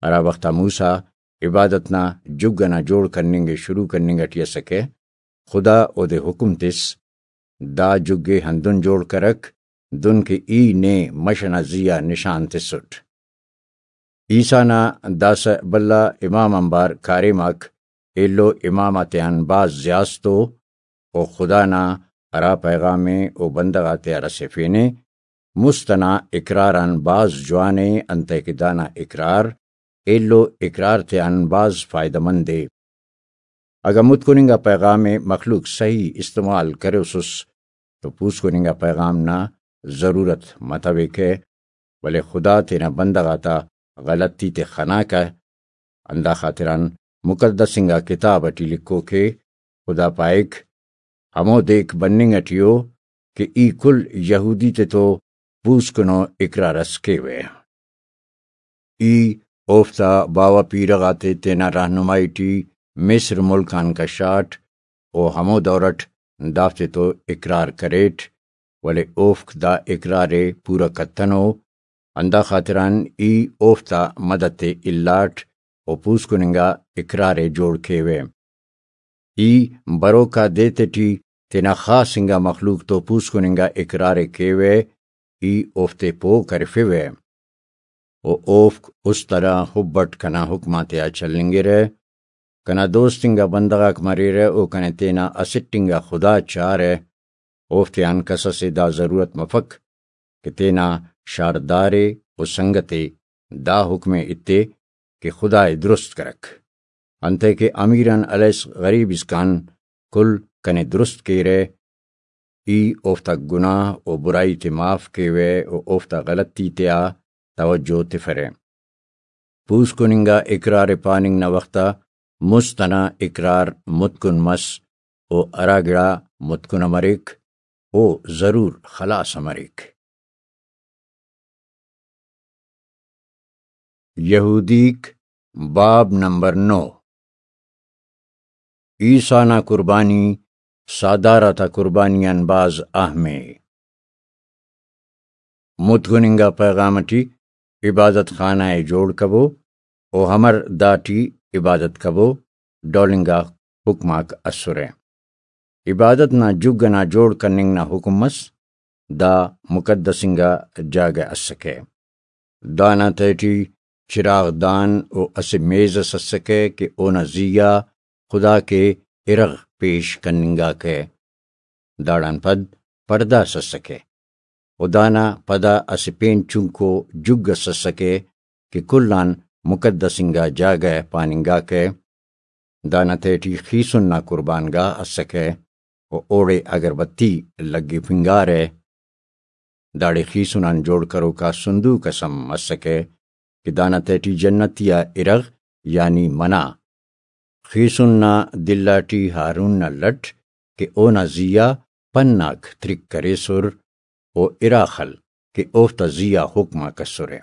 ہرا وخت آ موسیٰ عبادت نا جگ ئنا جوڑ کننگ ءِ شروع کننگ ئٹی ئسکہ، خدا اودے حکم تس، دا جگ ءِ ہندن جوڑ کرک، دن کہ ای نے مش ئنا زی آ نشان تسٹ۔ عیسیٰ نا داسہ بھلا امام آنبار کاریم آک ایلو امام آتیان بھاز زیات ءُ، و خدا نا ہرا پیغام ءِ او بندغ آتیا رسیفینے، مست ئنا اقرار آن بھاز جوان ءِ، انتئے کہ دانا اقرار ایلو اقرار تیان بھاز فائدہ مند ءِ۔ اگہ متکن انگا پیغام ءِ مخلوق صحیح استعمال کروسس تو پوسکن انگا پیغام نا ضرورت متویکہ، ولے خدا تینا بندغ آتا غلطی تے خناکہ۔ ہندا خاطران مقدس انگا کتاب اٹی لکھوک ءِ، خدا پائک، ہمو دیک بننگ اٹی ءُ کہ ای کل یہودی تتو پوسکنو اقرار اس کیوہ۔ ای اوفتا باوہ پیرہ غاتے تینا رہنمائی ٹی مصر ملک آن کشاٹ، و ہمو دور اٹ دافتے تو اقرار کریٹ، ولے اوفک دا اقرار ءِ پورہ کتنو، ہندا خاطران ای اوفتا مدد ءِ الاٹ و پوسکن انگا اقرار ءِ جوڑ کیوہ۔ ای بروکا دے تیٹی تینا خاص انگا مخلوق تو پوسکن انگا اقرار ءِ کیوہ، ای اوفتے پہہ کرفوہ۔ و اوفک است ہرا حب اٹ کنا حکم آتیا چلینگرہ۔ کنا دوست انگا بندغ آک مریرہ، او کنے تینا اسٹ انگا خدا چارہ۔ اوفتیان کس اسے دا ضرورت مفک کہ تینا شاردار ءِ و سنگت ءِ دا حکم ءِ ایتے کہ خدا ءِ درست کرک۔ انتئے کہ امیر آن ہلیس غریب اسکان کل کنے درست کیرہ۔ ای اوفتا گناہ و برائی تے معاف کیوہ و اوفتا غلطی تیا توجہ تفرہ۔ پوسکن انگا اقرار ءِ پاننگ نا وخت آ مست ئنا اقرار متکن مس و ہرا گڑا متکن ءِ مریک، او ضرور خلاص ءِ مریک۔ یہودیک، باب نمبر نو۔ عیسیٰ نا قربانی ساہدار آتا قربانی آن بھاز اہم ءِ۔ متکن انگا پیغام اٹی عبادت خانہ ءِ جوڑ کبو و امر داٹی عبادت کبو ڈول انگا حکم آک اسرہ۔ عبادت نا جگ ئنا جوڑ کننگ نا حکم مس، دا مقدس انگا جاگہ اسکہ۔ دانا تہٹی چراغ دان و اسہ میز اس اسکہ کہ اونا زی آ خدا کے ارغ پیش کننگاکہ۔ داڑان پد پڑدہ اس اسکہ و دانا پدا اسہ پین چنکو جگ اس اسکہ کہ کل آن مقدس انگا جاگہ پاننگاکہ۔ دانا تہٹی خیسن نا قربان گاہ اسکہ و اوڑے اگربتی لگفنگارہ۔ داڑے خیسن آن جوڑ کروکا صندوق اس ہم اسکہ کہ دانا تہٹی جنتی آ ارغ یعنی منہ۔ خیسن نا دلاٹی ہارون نا لٹ کہ اونا زی آ پن آک ترک کریسر و ارا خل کہ اوفتا زی آ حکم آک اسرہ۔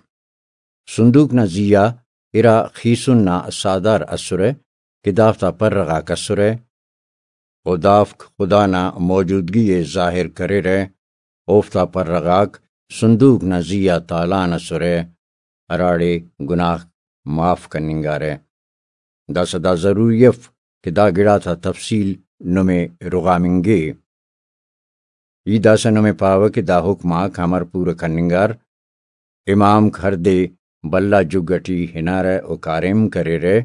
صندوق نا زی آ ارا خیسن نا ساہدار اسرہ کہ دافتا پرہ غاک اسرہ و دافک خدا نا موجودگی ءِ ظاہر کریرہ۔ اوفتا پرہ غاک صندوق نا زی آ تالان اسرہ، ہراڑے گناہ معاف کننگارہ۔ داسہ دا ضروری اف کہ دا گڑاتا تفصیل نمے رغامنگے۔ ای داسہ نمے پاوہ کہ دا حکم آک امر پورہ کننگار؟ امامک ہر دے بھلا جگ اٹی ہنارہ و کاریم کریرہ،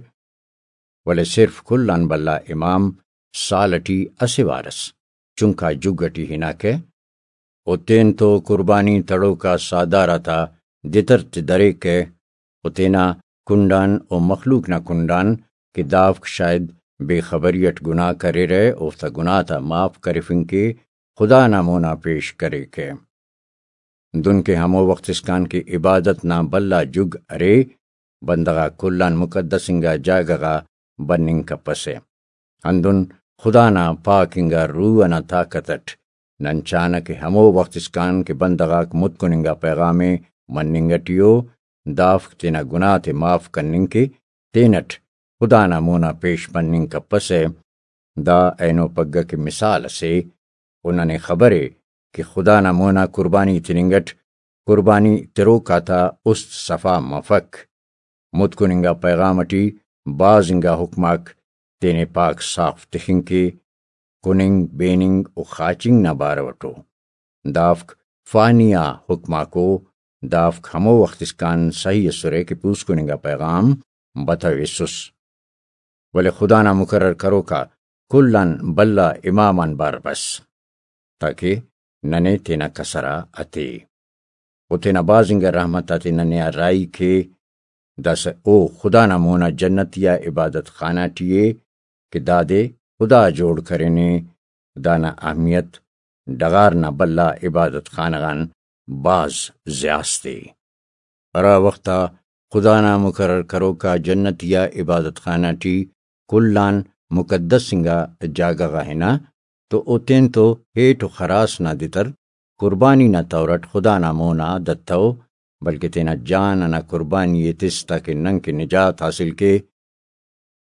ولے صرف کل آن بھلا امام سال اٹی اسہ وار اس چنکا جگ اٹی ہناکہ و تینتو قربانی تڑوکا ساہدار آتا دتر تے دریکہ و تینا کنڈان و مخلوق نا کنڈان کہ دافک شاید بے خبری اٹ گناہ کریرہ، اوفتا گناہ تا معاف کرفنگ کے خدا نا مونا پیش کریکہ۔ دن کہ ہمو وخت اسکان کہ عبادت نا بھلا جگ ارے، بندغ آک کل آن مقدس انگا جاگہ غا بننگ کپسہ۔ ہندن خدا نا پاک انگا روح ئنا طاقت اٹ نن چانہ کہ ہمو وخت اسکان کہ بندغ آک متکن انگا پیغام ءِ مننگ اٹی ءُ، دافک تینا گناہ تے معاف کننگ کہ تینٹ خدا نا مونا پیش مننگ کپسہ۔ دا اینو پگہ کہ مثال اسے، و ننے خبرے کہ خدا نا مونا قربانی تننگ اٹ قربانی تروک آتا است صفا مفک۔ متکن انگا پیغام اٹی بھاز انگا حکم آک تینے پاک صاف تخنگ کے، کننگ، بیننگ و خاچنگ نا بارو اٹو۔ دافک فانی آ حکم آکو، دافک ہمو وخت اسکان سہی اسرہ کہ پوسکن انگا پیغام بتویسس۔ ولے خدا نا مقرر کروک آ کل آن بھلا امام آنبار بس، تاکہ ننے تینا کسر آ اتے۔ و تینا بھاز انگا رحمت آتے ننے آ راہی کے۔ داسہ او خدا نا مونا جنتی آ عبادت خانہ ٹی ءِ کہ دادے خدا جوڑ کرینے۔ دانا اہمیت ڈغار نا بھلا عبادت خانہ غان بھاز زیاست ءِ۔ ہرا وخت آ خدا نا مقرر کروکا جنتی آ عبادت خانہ ٹی کل آن مقدس انگا جاگہ غا ہنا تو او تینتو ہیٹ و خراس نا دتر قربانی نا طور اٹ خدا نا مونا دتو، بلکہ تینا جان انا قربانی ءِ تس تاکہ ننکہ نجات حاصل کے۔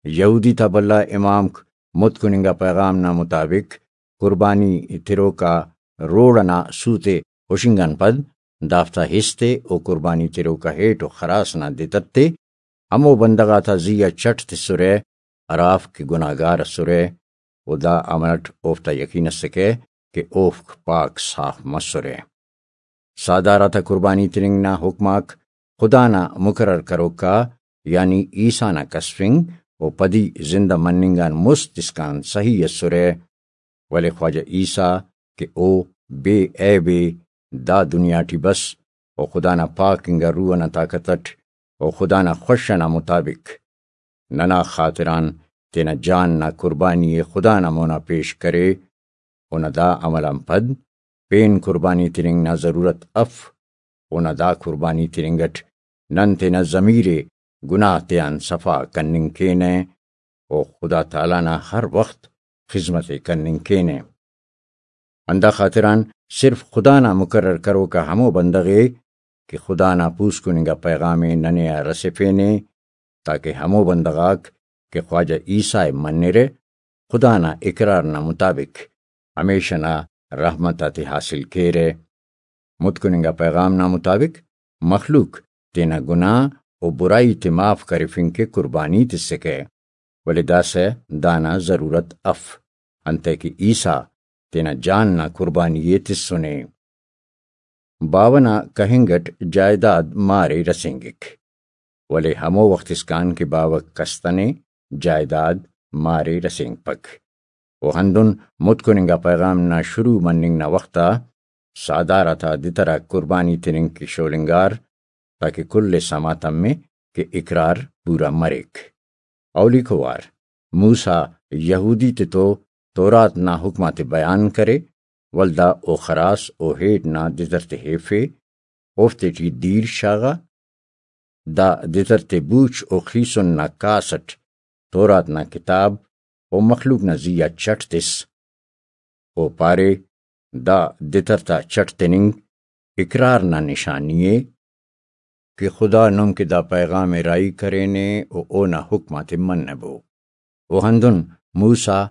یہودی تا بھلا امامک متکن انگا پیغام نا مطابق قربانی تروکا روڑ انا سوت ءِ ہشنگ آن پد دافتا ہست ءِ و قربانی تروکا ہیٹ و خراس نا دتر تے ہمو بندغ آتا زی آ چٹ تسرہ ہرافک کہ گناہگار اسرہ، و دا عمل اٹ اوفتا یقین اسکہ کہ اوفک پاک صاف مسرہ۔ ساہدار آتا قربانی تننگ نا حکم آک خدا نا مقرر کروکا، یعنی عیسیٰ نا کسفنگ و پدی زندہ مننگ آن مست اسکان سہی اسرہ، ولے خواجہ عیسیٰ کہ او بے عیب ءِ، دا دنیا ٹی بس و خدا نا پاک انگا روح انا طاقت اٹ و خدا نا خوش انا مطابق ننا خاطران تینا جان نا قربانی ءِ خدا نا مونا پیش کرے۔ اونا دا عمل آن پد پین قربانی تننگ نا ضرورت اف۔ اونا دا قربانی تننگ اٹ نن تینا ضمیر ءِ گناہ تیان صفا کننگ کینہ و خدا تعالیٰ نا ہر وخت خذمت ءِ کننگ کینہ۔ ہندا خاطران صرف خدا نا مقرر کروکا ہمو بندغ ءِ کہ خدا نا پوسکن انگا پیغام ءِ ننے آ رسفینے، تاکہ ہمو بندغ آک کہ خواجہ عیسیٰ ءِ منرہ، خدا نا اقرار نا مطابق ہمیشہ نا رحمت آتے حاصل کیرہ۔ متکن انگا پیغام نا مطابق مخلوق تینا گناہ و برائی تے معاف کرفنگ کہ قربانی تسکہ، ولے داسہ دانا ضرورت اف، انتئے کہ عیسیٰ تینا جان نا قربانی ءِ تسنے۔ باوہ نا کہنگ اٹ جائیداد مار ءِ رسینگک، ولے ہمو وخت اسکان کہ باوہ کستنے جائیداد مار ءِ رسینگپک۔ و ہندن متکن انگا پیغام نا شروع مننگ نا وخت آ ساہدار آتا دتر آک قربانی تننگ کہ شولنگار، تاکہ کل ءِ سما تمے کہ اقرار پورا مریک۔ اولیکو وار موسیٰ یہودی تتو تورات نا حکم آتے بیان کرے، ولدا او خراس و ہیٹ نا دتر تے ہیفے، اوفتے ٹی دیر شاغا۔ دا دتر تے بوچ و خیسن نا کاس اٹ تورات نا کتاب و مخلوق نا زی آ چٹ تس۔ او پارے، دا دتر تا چٹ تننگ اقرار نا نشانی ءِ کہ خدا نم کہ دا پیغام ءِ راہی کرینے و اونا حکم آتے منبو۔ و ہندن موسیٰ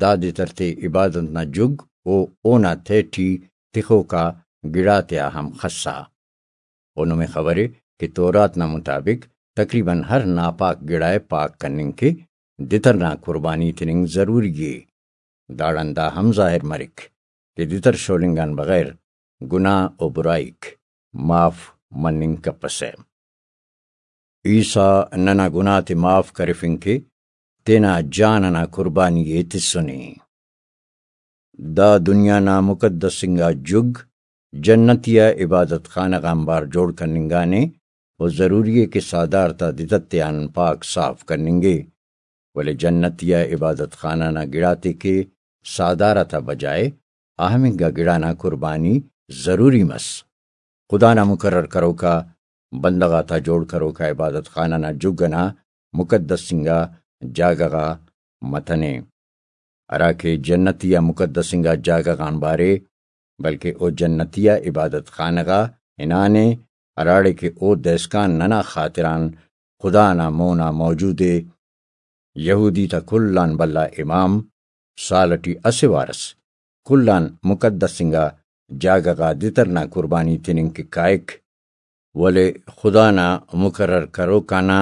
دا دتر تے عبادت نا جگ و اونا تہٹی تخوکا گڑاتیا ہم خسا۔ و نمے خبرے کہ تورات نا مطابق تقریباً ہر ناپاک گڑا ءِ پاک کننگ کہ دتر نا قربانی تننگ ضروری ءِ۔ داڑان دا ہم ظاہر مریک کہ دتر شولنگ آن بغیر گناہ و برائیک معاف مننگ کپسہ۔ عیسیٰ ننا گناہ تے معاف کرفنگ کہ تینا جان انا قربانی ءِ تسنے۔ دا دنیا نا مقدس انگا جگ جنتی آ عبادت خانہ غا آنبار جوڑ کننگانے و ضروری ءِ کہ ساہدار تا دتر تیان پاک صاف کننگے، ولے جنتی آ عبادت خانہ نا گڑاتے کہ ساہدار آتا بجائے اہم انگا گڑا نا قربانی ضروری مس۔ خدا نا مقرر کروکا بندغ آتا جوڑ کروکا عبادت خانہ نا جگ انا مقدس انگا جاگہ غا متنے، ہراکہ جنتی آ مقدس انگا جاگہ غان بارے، بلکہ او جنتی آ عبادت خانہ غا ہنانے، ہراڑے کہ او دہسکان ننا خاطران خدا نا مونا موجود ءِ۔ یہودی تا کل آن بھلا امام سال ٹی اسہ وارس کل آن مقدس انگا جاگہ غا دتر نا قربانی تننگ کہ کائک، ولے خدا نا مقرر کروک آ نا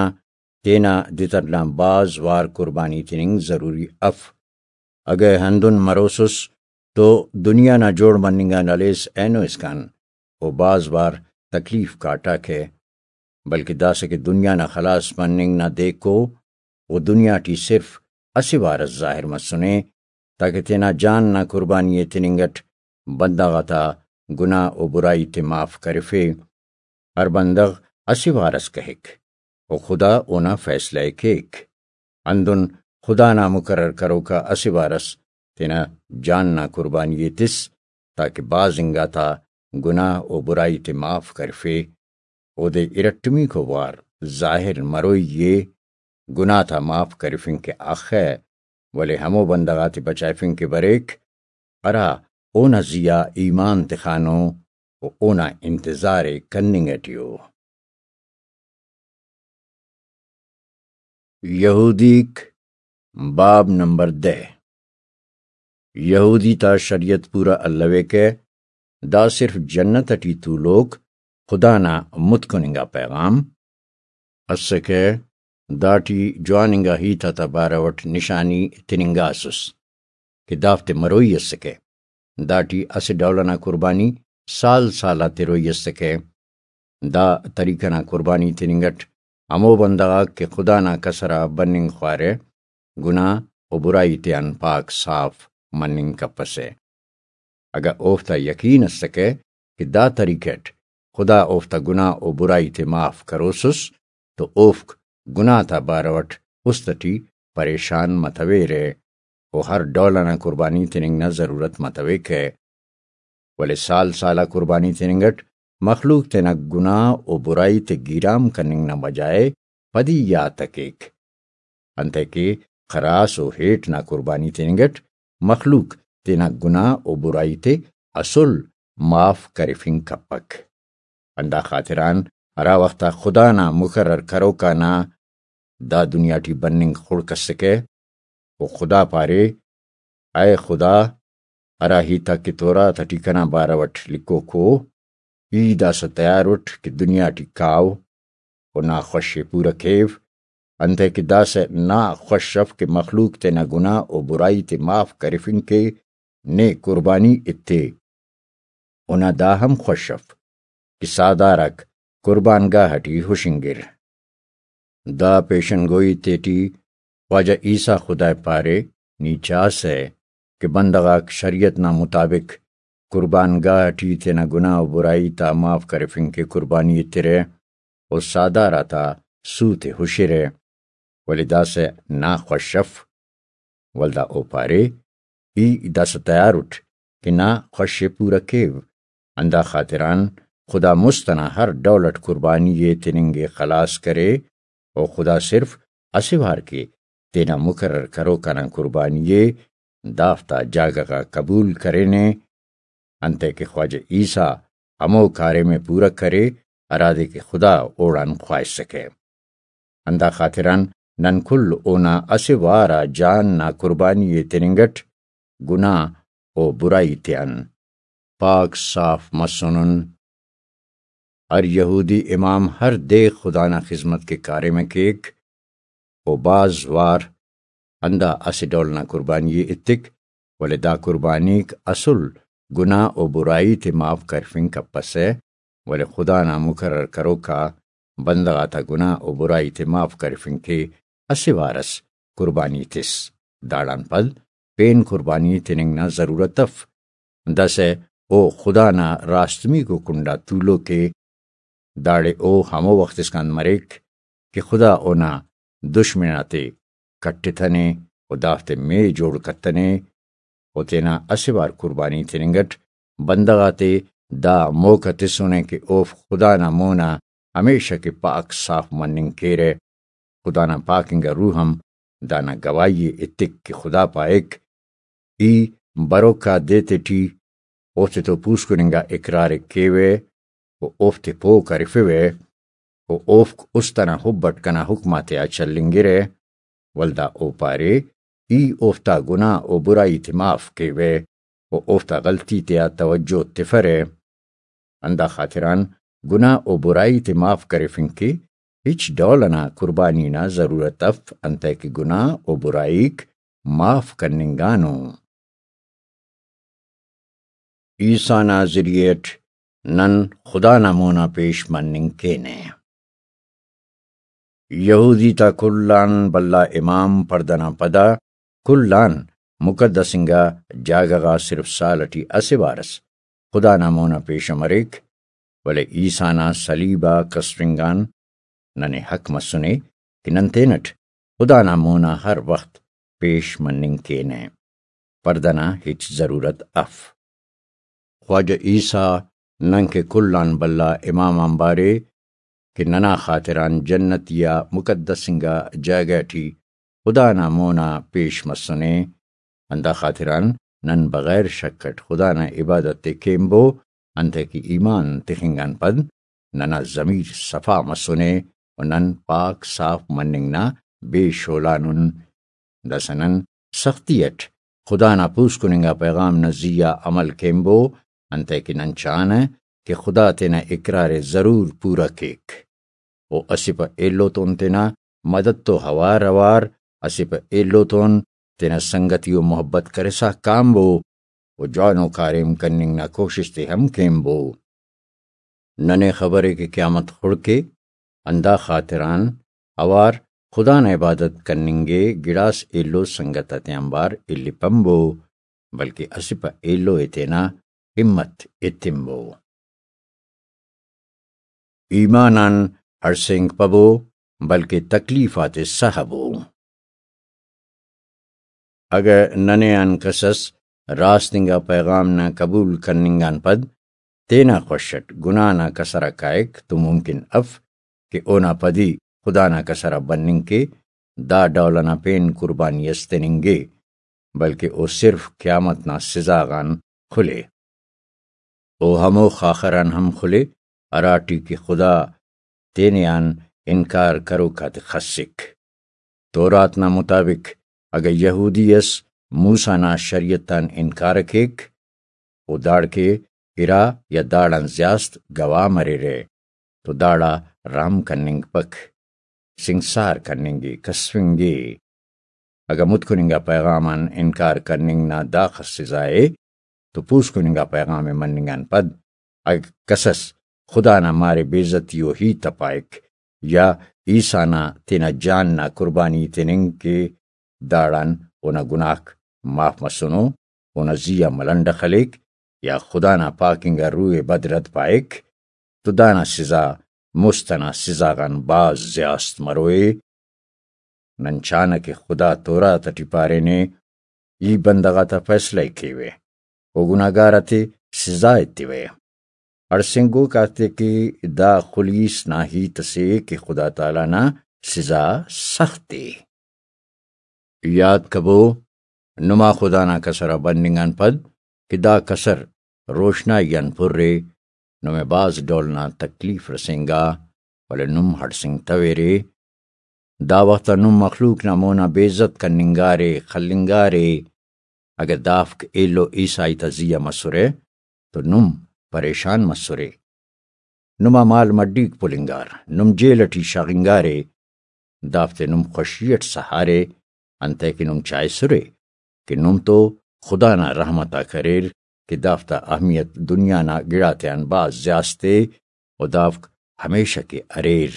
تینا دتر نا بھاز وار قربانی تننگ ضروری اف۔ اگہ ہندن مروسس تو دنیا نا جوڑ مننگ آن ہلیس اینو اسکان او بھاز وار تکلیف کاٹاکہ، بلکہ داسہ کہ دنیا نا خلاص مننگ نا دیکو او دنیا ٹی صرف اسہ وار اس ظاہر مسنے، تاکہ تینا جان نا قربانی ءِ تننگ اٹ بندغ آتا گناہ و برائی تے معاف کرفے۔ ہر بندغ اسہ وار اس کہک و خدا اونا فیصلہ ءِ کیک۔ ہندن خدا نا مقرر کروکا اسہ وار اس تینا جان نا قربانی ءِ تس، تاکہ بھاز انگا تا گناہ و برائی تے معاف کرفے۔ اودے ارٹمیکو وار ظاہر مروئی ءِ گناہ تا معاف کرفنگ کہ اخہ، ولے ہمو بندغ آتے بچائفنگ کہ بریک، ہرا اونا زیہا ایمان تخانو و اونا انتظار ءِ کننگ اٹی ءُ۔ یہودیک، باب نمبر دہ۔ یہودی تا شریعت پورا الویکہ، دا صرف جنت اٹی تولوک خدا نا متکن انگا پیغام اسکہ، داٹی جوان انگا ہیت آتا بارو اٹ نشانی تننگاسس کہ دافتے مروئی اسکہ۔ داٹی اسہ ڈول ئنا قربانی سال سال آ تروئی اسکہ۔ دا طریقہ نا قربانی تننگ اٹ ہمو بندغ آک کہ خدا نا کسر آ بننگ خوارہ، گناہ و برائی تیان پاک صاف مننگ کپسہ۔ اگہ اوفتا یقین اسکہ کہ دا طریقہ اٹ خدا اوفتا گناہ و برائی تے معاف کروسس تو اوفک گناہ تا بارو اٹ است اٹی پریشان متویرہ و ہر ڈول ئنا قربانی تننگ نا ضرورت متویکہ۔ ولے سال سال آ قربانی تننگ اٹ مخلوق تینا گناہ و برائی تے گیرام کننگ نا بجائے پدی یات ءِ کیک، انتئے کہ خراس و ہیٹ نا قربانی تننگ اٹ مخلوق تینا گناہ و برائی تے اسل معاف کرفنگ کپک۔ ہندا خاطران ہرا وخت آ خدا نا مقرر کروکا نا دا دنیا ٹی بننگ خڑک اسکہ، و خدا پارے، اے خدا، ہرا ہیت آک کہ تورات اٹی کنا بارو اٹ لکھوک ءُ، ای داسہ تیار اٹ کہ دنیا ٹی کاو و نا خوش ءِ پورہ کیو، انتئے کہ داسہ نا خوش اف کہ مخلوق تینا گناہ و برائی تے معاف کرفنگ کے نے قربانی ایتے۔ اونا دا ہم خوش اف کہ ساہدار آک قربان گاہ ٹی ہشنگر۔ دا پیشن گوئی تیٹی خواجہ عیسیٰ خدائے پارے، نی چاسہ کہ بندغ آک شریعت نا مطابق قربان گاہ ٹی تینا گناہ و برائی تا معاف کرفنگ کے قربانی ایترہ و ساہدار آتا سوت ءِ ہشرہ، ولے داسہ نا خوش اف۔ ولدا او پارے، ای داسہ تیار اٹ کہ نا خوش ءِ پورہ کیو۔ ہندا خاطران خدا مست ئنا ہر ڈول اٹ قربانی ءِ تننگ ءِ خلاص کرے، و خدا صرف اسہ وار کہ تینا مقرر کروک آنان قربانی ءِ دافتا جاگہ غا قبول کرینے، انتئے کہ خواجہ عیسیٰ ہمو کاریم ءِ پورہ کرے، ہرادے کہ خدا اوڑان خواہسکہ۔ ہندا خاطران نن کل اونا اسہ وار آ جان نا قربانی ءِ تننگ اٹ گناہ و برائی تیان پاک صاف مسنن۔ ہر یہودی امام ہر دے خدا نا خذمت کے کاریم ءِ کیک و بھاز وار ہندا اسہ ڈول نا قربانی ءِ ایتک، ولے دا قربانیک اسل گناہ و برائی تے معاف کرفنگ کپسہ، ولے خدا نا مقرر کروکا بندغ آتا گناہ و برائی تے معاف کرفنگ کے اسہ وار اس قربانی تس۔ داڑان پد پین قربانی تننگ نا ضرورت اف۔ داسہ او خدا نا راستمیکو کنڈا تولوک ءِ، داڑے او ہمو وخت اسکان مریک کہ خدا اونا دشمن آتے کٹتنے و دافتے مے جوڑ کتنے و تینا اسہ وار قربانی تننگ اٹ بندغ آتے دا موقع تسنے کہ اوفک خدا نا مونا ہمیشہ کہ پاک صاف مننگ کیرہ۔ خدا نا پاک انگا روح ہم دانا گواہی ءِ ایتک کہ خدا پائک، ای بروکا دے تیٹی اوفتے تو پوسکن انگا اقرار ءِ کیوہ و اوفتے پہہ کرفوہ و اوفک است ئنا حب اٹ کنا حکم آتیا چلینگرہ۔ ولدا او پارے، ای اوفتا گناہ و برائی تے معاف کیوہ و اوفتا غلطی تیا توجہ تفرہ۔ ہندا خاطران گناہ و برائی تے معاف کرفنگ کہ ہچ ڈول ئنا قربانی نا ضرورت اف، انتئے کہ گناہ و برائیک معاف کننگانو۔ عیسیٰ نا ذریعہ اٹ نن خدا نا مونا پیش مننگ کینہ۔ یہودی تا کل آن بھلا امام پڑدہ نا پدا کل آن مقدس انگا جاگہ غا صرف سال ٹی اسہ وار ئس خدا نا مونا پیشہ مریک، ولے عیسیٰ نا صلیب آ کسفنگ آن ننے حق مسنے کہ نن تینٹ خدا نا مونا ہر وخت پیش مننگ کینہ۔ پڑدہ نا ہچ ضرورت اف۔ خواجہ عیسیٰ ننکہ کل آن بھلا امام آنبارے کہ ننا خاطران جنتی آ مقدس انگا جاگہ ٹی خدا نا مونا پیش مسنے۔ ہندا خاطران نن بغیر شک اٹ خدا نا عبادت ءِ کینبو، انتئے کہ ایمان تخنگ آن پد ننا ضمیر صفا مسنے و نن پاک صاف مننگ نا بے شولانن۔ داسہ نن سختی اٹ خدا نا پوسکن انگا پیغام نا زی آ عمل کینبو، انتئے کہ نن چانہ کہ خدا تینا اقرار ءِ ضرور پورا کیک۔ و اسہ پہ ایلو تون تینا مدد تو اوار اوار، اسہ پہ ایلو تون تینا سنگتی و محبت کرسا کانبو و جوانو کاریم کننگ نا کوشست ءِ ہم کینبو۔ ننے خبر ءِ کہ قیامت خڑک ءِ، ہندا خاطران اوار خدا نا عبادت کننگ ءِ گڑاس ایلو سنگت آتیانبار الیپنبو، بلکہ اسہ پہ ایلو ءِ تینا ہمت ایتنبو۔ ایمان آن ہڑسینگ پبو، بلکہ تکلیف آتے سہبو۔ اگہ ننے آن کسس راست انگا پیغام نا قبول کننگ آن پد تینا خوش اٹ گناہ نا کسر آ کائک تو ممکن اف کہ اونا پدی خدا نا کسر آ بننگ کے دا ڈول ئنا پین قربانی اس تننگے، بلکہ او صرف قیامت نا سزا غان خلے۔ او ہمو خاخر آن ہم خلے، ہراٹی کہ خدا تینے آن انکار کروک آتے خسک۔ تورات نا مطابق اگہ یہودی اس موسیٰ نا شریعت آن انکار ءِ کیک، و داڑکہ ارا یا داڑان زیاست گواہ مریرہ، تو داڑا رحم کننگپک، سنگسار کننگے، کسفنگے۔ اگہ متکن انگا پیغام آن انکار کننگ نا داخس سزا ءِ، تو پوسکن انگا پیغام ءِ مننگ آن پد اگہ کسس خدا نا مارے بے عزتی و ہیت ءِ پائک، یا عیسیٰ نا تینا جان نا قربانی تننگ کہ داڑان اونا گناہک معاف مسنو، اونا زی آ ملنڈ ءِ خلیک، یا خدا نا پاک انگا روح ءِ بدرد پائک، تو دانا سزا مست ئنا سزا غان بھاز زیاست مروئے۔ نن چانہ کہ خدا تورات ٹی پارینے، ای بندغ آتا فیصلہ ءِ کیوہ، او گناہگار آتے سزا ایتیوہ۔ ہڑسینگوک آتے کہ دا خلیس نا ہیت اسے کہ خدا تعالیٰ نا سزا سخت ءِ۔ یات کبو، نما خدا نا کسر آ بننگ آن پد کہ دا کسر روشنائی آن پرے، نمے بھاز ڈول نا تکلیف رسینگا، ولے نم ہڑسینگتویرے۔ دا وخت آ نم مخلوق نا مونا بے عزت کننگارے، خلنگارے۔ اگہ دافک ایلو عیسائی تا زی آ مسرہ تو نم پریشان مسرے۔ نما مال مڈیک پلنگار، نم جیل ٹی شاغنگارے، دافتے نم خوشی اٹ سہارے، انتئے کہ نم چائسرے کہ نم تو خدا نا رحمت آک اریر کہ دافتا اہمیت دنیا نا گڑاتیان بھاز زیاست ءِ و دافک ہمیشہ کہ اریر۔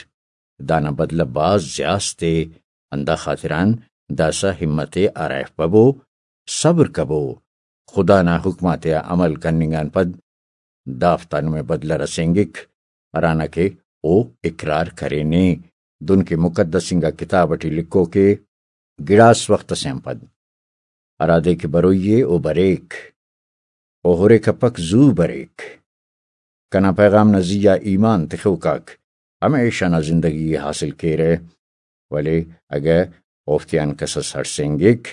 دانا بدلہ بھاز زیاست ءِ، ہندا خاطران داسہ ہمت ءِ ہرائفپبو، صبر کبو۔ خدا نا حکم آتیا عمل کننگ آن پد دافتا نمے بدلہ رسینگک، ہرانا کہ او اقرار کرینے۔ دنکہ مقدس انگا کتاب ٹی لکھوک ءِ، گڑاس وخت اسے آن پد ہرادے کہ بروئی ءِ او بریک، او ہرے کپک زو بریک۔ کنا پیغام نا زی آ ایمان تخوک آک ہمیشہ نا زندگی ءِ حاصل کیرہ، ولے اگہ اوفتیان کسس ہڑسینگک،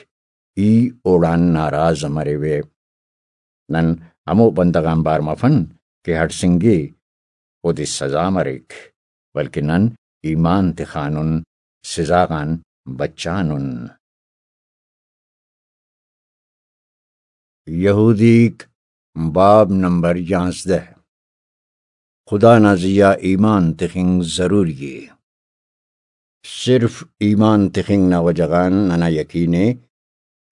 ای اوڑان ناراض مریوہ۔ نن ہمو بندغ آنبار مفن کہ ہڑسینگے، اودے سزا مریک، بلکہ نن ایمان تخانن، سزا غان بچانن۔ یہودیک، باب نمبر یانزدہ۔ خدا نا زی آ ایمان تخنگ ضروری ءِ۔ صرف ایمان تخنگ نا وجہ غان ننا یقین ءِ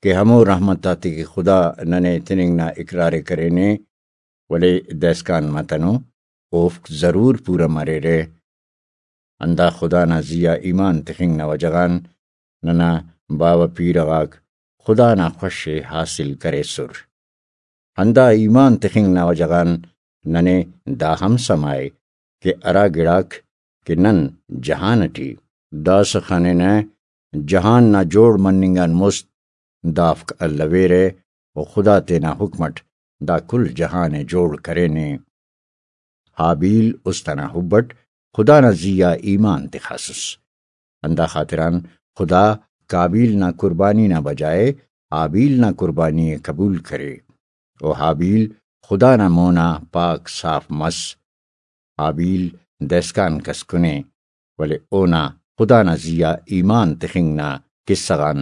کہ ہمو رحمت آتے کہ خدا ننے تننگ نا اقرار ءِ کرینے، ولے دائسکان متنو، اوفک ضرور پورہ مریرہ۔ ہندا خدا نا زی آ ایمان تخنگ نا وجہ غان ننا باوہ پیرہ غاک خدا نا خوش ءِ حاصل کریسر۔ ہندا ایمان تخنگ نا وجہ غان ننے دا ہم سما ءِ کہ ہرا گڑاک کہ نن جہان اٹی داسہ خننہ، جہان نا جوڑ مننگ آن مست دافک الویرہ و خدا تینا حکم اٹ دا کل جہان ءِ جوڑ کرینے۔ ہابیل است انا حب اٹ خدا نا زی آ ایمان تخاسس۔ ہندا خاطران خدا قابیل نا قربانی نا بجائے ہابیل نا قربانی ءِ قبول کرے۔ و ہابیل خدا نا مونا پاک صاف مس۔ ہابیل دہسکان کس کنے، ولے اونا خدا نا زی آ ایمان تخنگ نا قصہ غان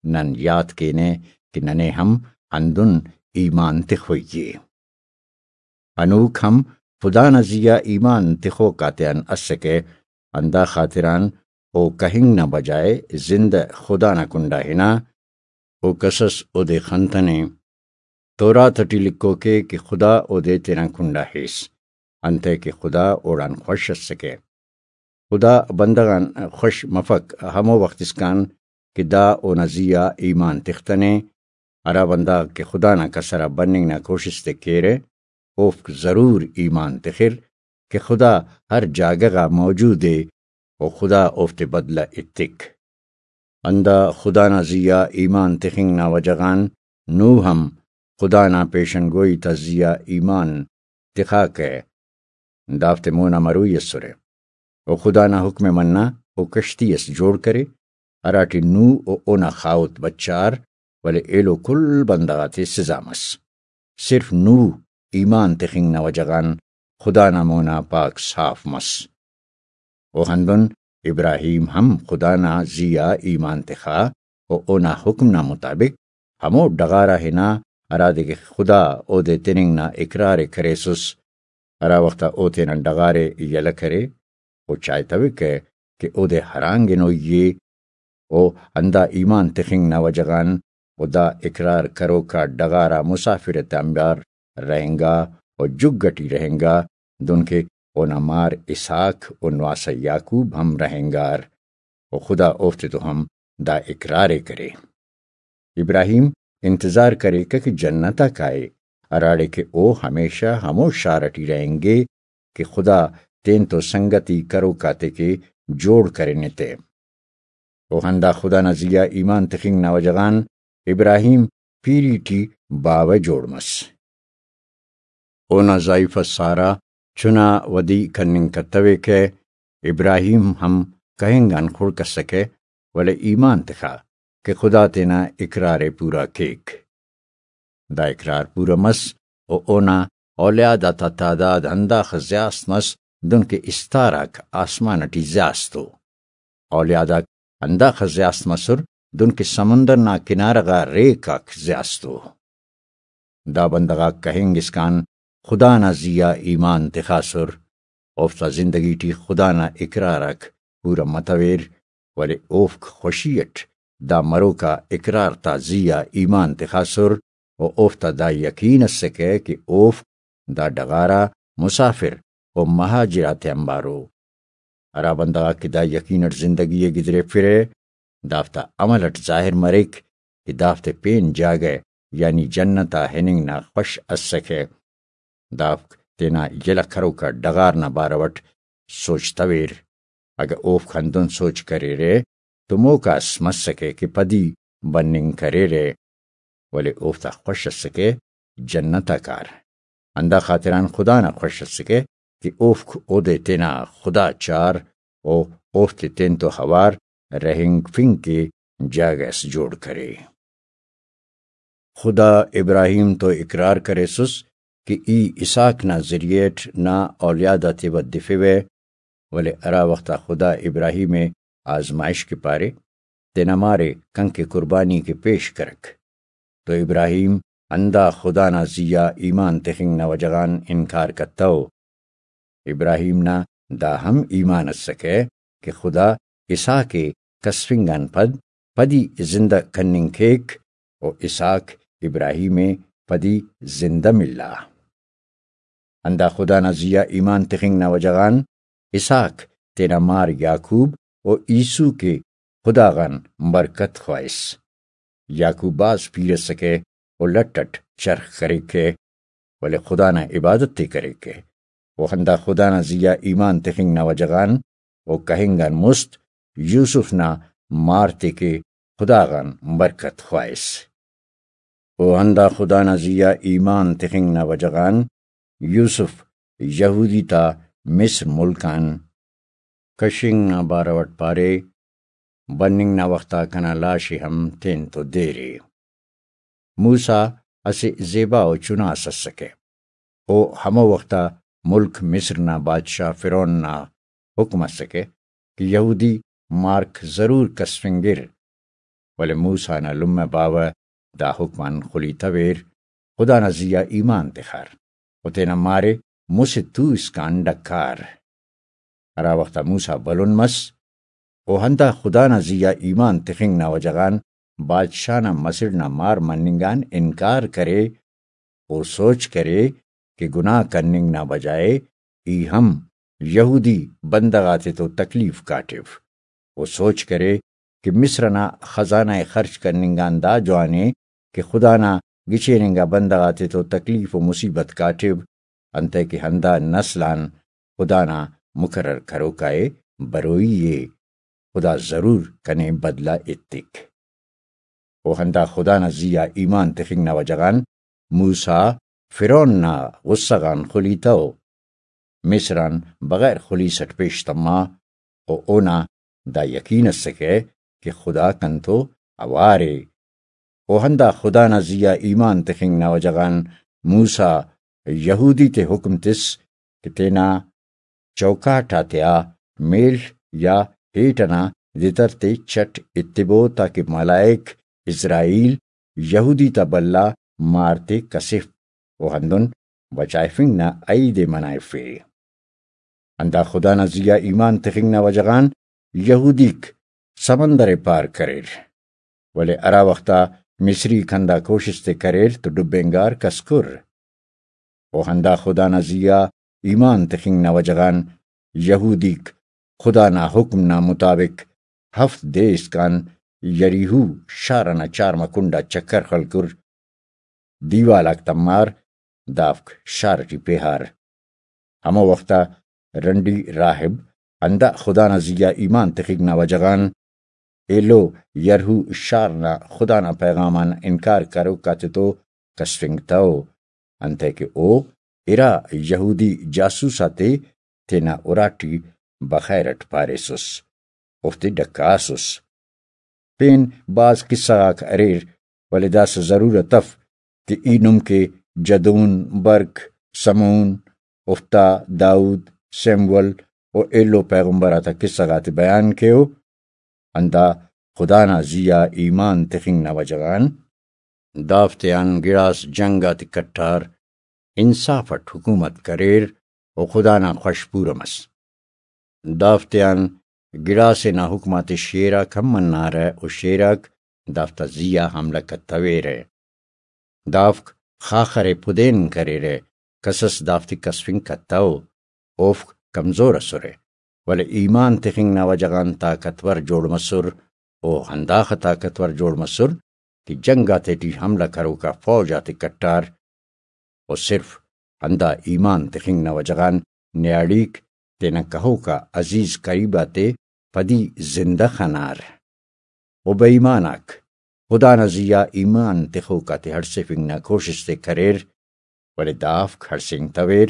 نن یات کینہ کہ ننے ہم ہندن ایمان تخوئی ءِ۔ ہنوک ہم خدا نا زی آ ایمان تخوک آتیان اسکہ، ہندا خاطران او کہنگ نا بجائے زندہ خدا نا کنڈا ہنا، او کسس اودے خنتنے۔ تورات اٹی لکھوک ءِ کہ خدا اودے تینا کنڈا ہیس، انتئے کہ خدا اوڑان خوش اسکہ۔ خدا بندغ آن خوش مفک ہمو وخت اسکان کہ دا اونا زی آ ایمان تختنے۔ ہرا بندغ کہ خدا نا کسر آ بننگ نا کوشست ءِ کیرہ، اوفک ضرور ایمان تخر کہ خدا ہر جاگہ غا موجود ءِ و خدا اوفتے بدلہ ایتک۔ ہندا خدا نا زی آ ایمان تخنگ نا وجہ غان نوح ہم خدا نا پیشن گوئی تا زی آ ایمان تخاکہ، دافتے مونا مروئی اسرہ۔ و خدا نا حکم ءِ منا او کشتی اس جوڑ کرے، ہراٹی نوح و اونا خاہوت بچار، ولے ایلو کل بندغ آتے سزا مس۔ صرف نوح ایمان تخنگ نا وجہ غان خدا نا مونا پاک صاف مس۔ و ہندن ابراہیم ہم خدا نا زی آ ایمان تخا و اونا حکم نا مطابق ہمو ڈغار آ ہنا ہرادے کہ خدا اودے تننگ نا اقرار ءِ کریسس۔ ہرا وخت آ او تینا ڈغار ءِ یلہ کرے، او چائتویکہ کہ اودے ہرانگ ہنوئی ءِ۔ او ہندا ایمان تخنگ نا وجہ غان او دا اقرار کروک آ ڈغار آ مسافر آتیانبار رہینگا و جھگ اٹی رہینگا، دنکہ اونا مار اسحاق و نواسہ یعقوب ہم رہینگار، و خدا اوفتتون ہم دا اقرار ءِ کرے۔ ابراہیم انتظار کریکہ کہ جنت آ کائے، ہراڑے کہ او ہمیشہ ہمو شار اٹی رہینگے کہ خدا تینتو سنگتی کروک آتے کہ جوڑ کرینے تے۔ و ہندا خدا نا زی آ ایمان تخنگ نا وجہ غان ابراہیم پیری ٹی باوہ جوڑ مس۔ اونا زائیفہ سارہ چنا ودی کننگ کتویکہ، ابراہیم ہم کہنگ آن خڑک اسکہ، ولے ایمان تخا کہ خدا تینا اقرار ءِ پورا کیک۔ دا اقرار پورا مس و اونا اولیاد آتا تعداد ہنداخہ زیاست مس، دنکہ استار آک آسمان اٹی زیاست ءُ۔ اولیاد آک ہنداخہ زیاست مسر، دنکہ سمندر نا کنارہ غا ریک آک زیاست ءُ۔ دا بندغ آک کہنگ اسکان خدا نا زی آ ایمان تخاسر، اوفتا زندگی ٹی خدا نا اقرار آک پورا متویر، ولے اوفک خوشی اٹ دا مروکا اقرار تا زی آ ایمان تخاسر و اوفتا دا یقین اسکہ کہ اوفک دا ڈغار آ مسافر و مہاجر آتیانبار ءُ۔ ہرا بندغ آک کہ دا یقین اٹ زندگی ءِ گدریفرہ، دافتا عمل اٹ ظاہر مریک کہ دافتے پین جاگہ یعنی جنت آ ہننگ نا خوش اسکہ۔ دافک تینا یلہ کروکا ڈغار نا بارو اٹ سوچتویر۔ اگہ اوفک ہندن سوچ کریرہ تو موکاس مسکہ کہ پدی بننگ کریرہ، ولے اوفتا خوش اسکہ جنت آ کار۔ ہندا خاطران خدا نا خوش اسکہ کہ اوفک اودے تینا خدا چار و اوفتے تینتو اوار رہینگفنگ کہ جاگہ اس جوڑ کرے۔ خدا ابراہیم تو اقرار کریسس کہ ای اسحاق نا ذریعہ اٹ نا اولیاد آتے ودفوہ، ولے ہرا وخت آ خدا ابراہیم ءِ آزمائش کہ پارے، تینا مار ءِ کنکہ قربانی کہ پیش کرک۔ تو ابراہیم ہندا خدا نا زی آ ایمان تخنگ نا وجہ غان انکار کتو۔ ابراہیم نا دا ہم ایمان ئسکہ کہ خدا اسحاق ءِ کسفنگ آن پد پدی زندہ کننگ کیک، و اسحاق ابراہیم ءِ پدی زندہ ملا۔ ہندا خدا نا زی آ ایمان تخنگ نا وجہ غان اسحاق تینا مار یعقوب و عیسو کہ خدا غان برکت خواہس۔ یعقوب بھاز پیرہ ئسکہ و لٹ اٹ چرخ کریکہ، ولے خدا نا عبادت ءِ کریکہ۔ و ہندا خدا نا زی آ ایمان تخنگ نا وجہ غان و کہنگ آن مست یوسف نا مار تے کہ خدا غان برکت خواہس۔ و ہندا خدا نا زی آ ایمان تخنگ نا وجہ غان یوسف یہودی تا مصر ملک آن کشنگ نا بارو اٹ پارے، بننگ نا وخت آ کنا لاش ءِ ہم تین تو دیر ءِ۔ موسیٰ اسہ زیبا و چنا اس اسکہ۔ او ہمو وخت آ ملک مصر نا بادشاہ فرعون نا حکم اسکہ کہ یہودی مارک ضرور کسفنگر، ولے موسیٰ نا لمہ باوہ دا حکم آن خلیتویر، خدا نا زی آ ایمان تخار و تینا مار ءِ مسہ تو اسکان ڈکار۔ ہرا وخت آ موسیٰ بھلن مس، و ہندا خدا نا زی آ ایمان تخنگ نا وجہ غان بادشاہ نا مسڑ نا مار مننگ آن انکار کرے، و سوچ کرے کہ گناہ کننگ نا بجائے ای ہم یہودی بندغ آتے تو تکلیف کاٹو، و سوچ کرے کہ مصر ئنا خزانہ ءِ خرچ کننگ آن دا جوان ءِ کہ خدا نا گچین انگا بندغ آتے تو تکلیف و مصیبت کاٹو، انتئے کہ ہندا نسل آن خدا نا مقرر کروکا ءِ بروئی ءِ۔ خدا ضرور کنے بدلہ ایتک۔ و ہندا خدا نا زی آ ایمان تخنگ نا وجہ غان موسیٰ فرعون نا غصہ غان خلیتو۔ مصر آن بغیر خلیس اٹ پیش تما، و اونا دا یقین اسکہ کہ خدا کنتو اوار ءِ۔ و ہندا خدا نا زی آ ایمان تخنگ نا وجہ غان موسیٰ یہودی تے حکم تس کہ تینا چوکاٹ آتیا میڷ یا ہیٹ ئنا دتر تے چٹ ایتبو، تاکہ ملائک اسرائیل یہودی تا بھلا مار تے کسف و ہندن بچائفنگ نا عئید ءِ منائفے۔ ہندا خدا نا زی آ ایمان تخنگ نا وجہ غان یہودیک سمندر ءِ پار کریر، ولے ہرا وخت آ مصریک ہندا کوشست ءِ کریر تو ڈبینگار کس کر۔ و ہندا خدا نا زی آ ایمان تخنگ نا وجہ غان یہودیک خدا نا حکم نا مطابق ہفت دے اسکان یریہو شار ئنا چارمہ کنڈ آ چکر خلکر، دیوال آک تمار، دافک شار ٹی پیہار۔ ہمو وخت آ رنڈی راہب ہندا خدا نا زی آ ایمان تخنگ نا وجہ غان ایلو یرہو شار نا خدا نا پیغام آن انکار کروک آتتو کسفنگتو، انتئے کہ او ارا یہودی جاسوس آتے تینا اراٹی بخیر اٹ پاریسس، اوفتے ڈکاسس۔ پین بھاز قصہ غاک اریر، ولے داسہ ضرورت اف کہ ای نم کہ جدون، برق، سمعون، اوفتا، داؤد، سیمول و ایلو پیغمبر آتا قصہ غاتے بیان کیو۔ ہندا خدا نا زی آ ایمان تخنگ نا وجہ غان دافتیان گڑاس جنگ آتے کٹار، انصاف اٹ حکومت کریر و خدا نا خوش پورہ مس۔ دافتیان گڑاسے نا حکم آتے شیر آک ہم منارہ و شیر آک دافتا زی آ حملہ کتویرہ۔ دافک خاخر ءِ پدین کریرہ، کسس دافتے کسفنگ کتو۔ اوفک کمزور ئسرہ، ولے ایمان تخنگ نا وجہ غان طاقتور جوڑ مسر، او ہنداخہ طاقتور جوڑ مسر کہ جنگ آتیٹی حملہ کروکا فوج آتے کٹار۔ و صرف ہندا ایمان تخنگ نا وجہ غان نیاڑیک تینا کہوکا عزیز قریب آتے پدی زندہ خنار۔ و بے ایمان آک خدا نا زی آ ایمان تخوک آتے ہڑسیفنگ نا کوشست ءِ کریر، ولے دافک ہڑسینگتویر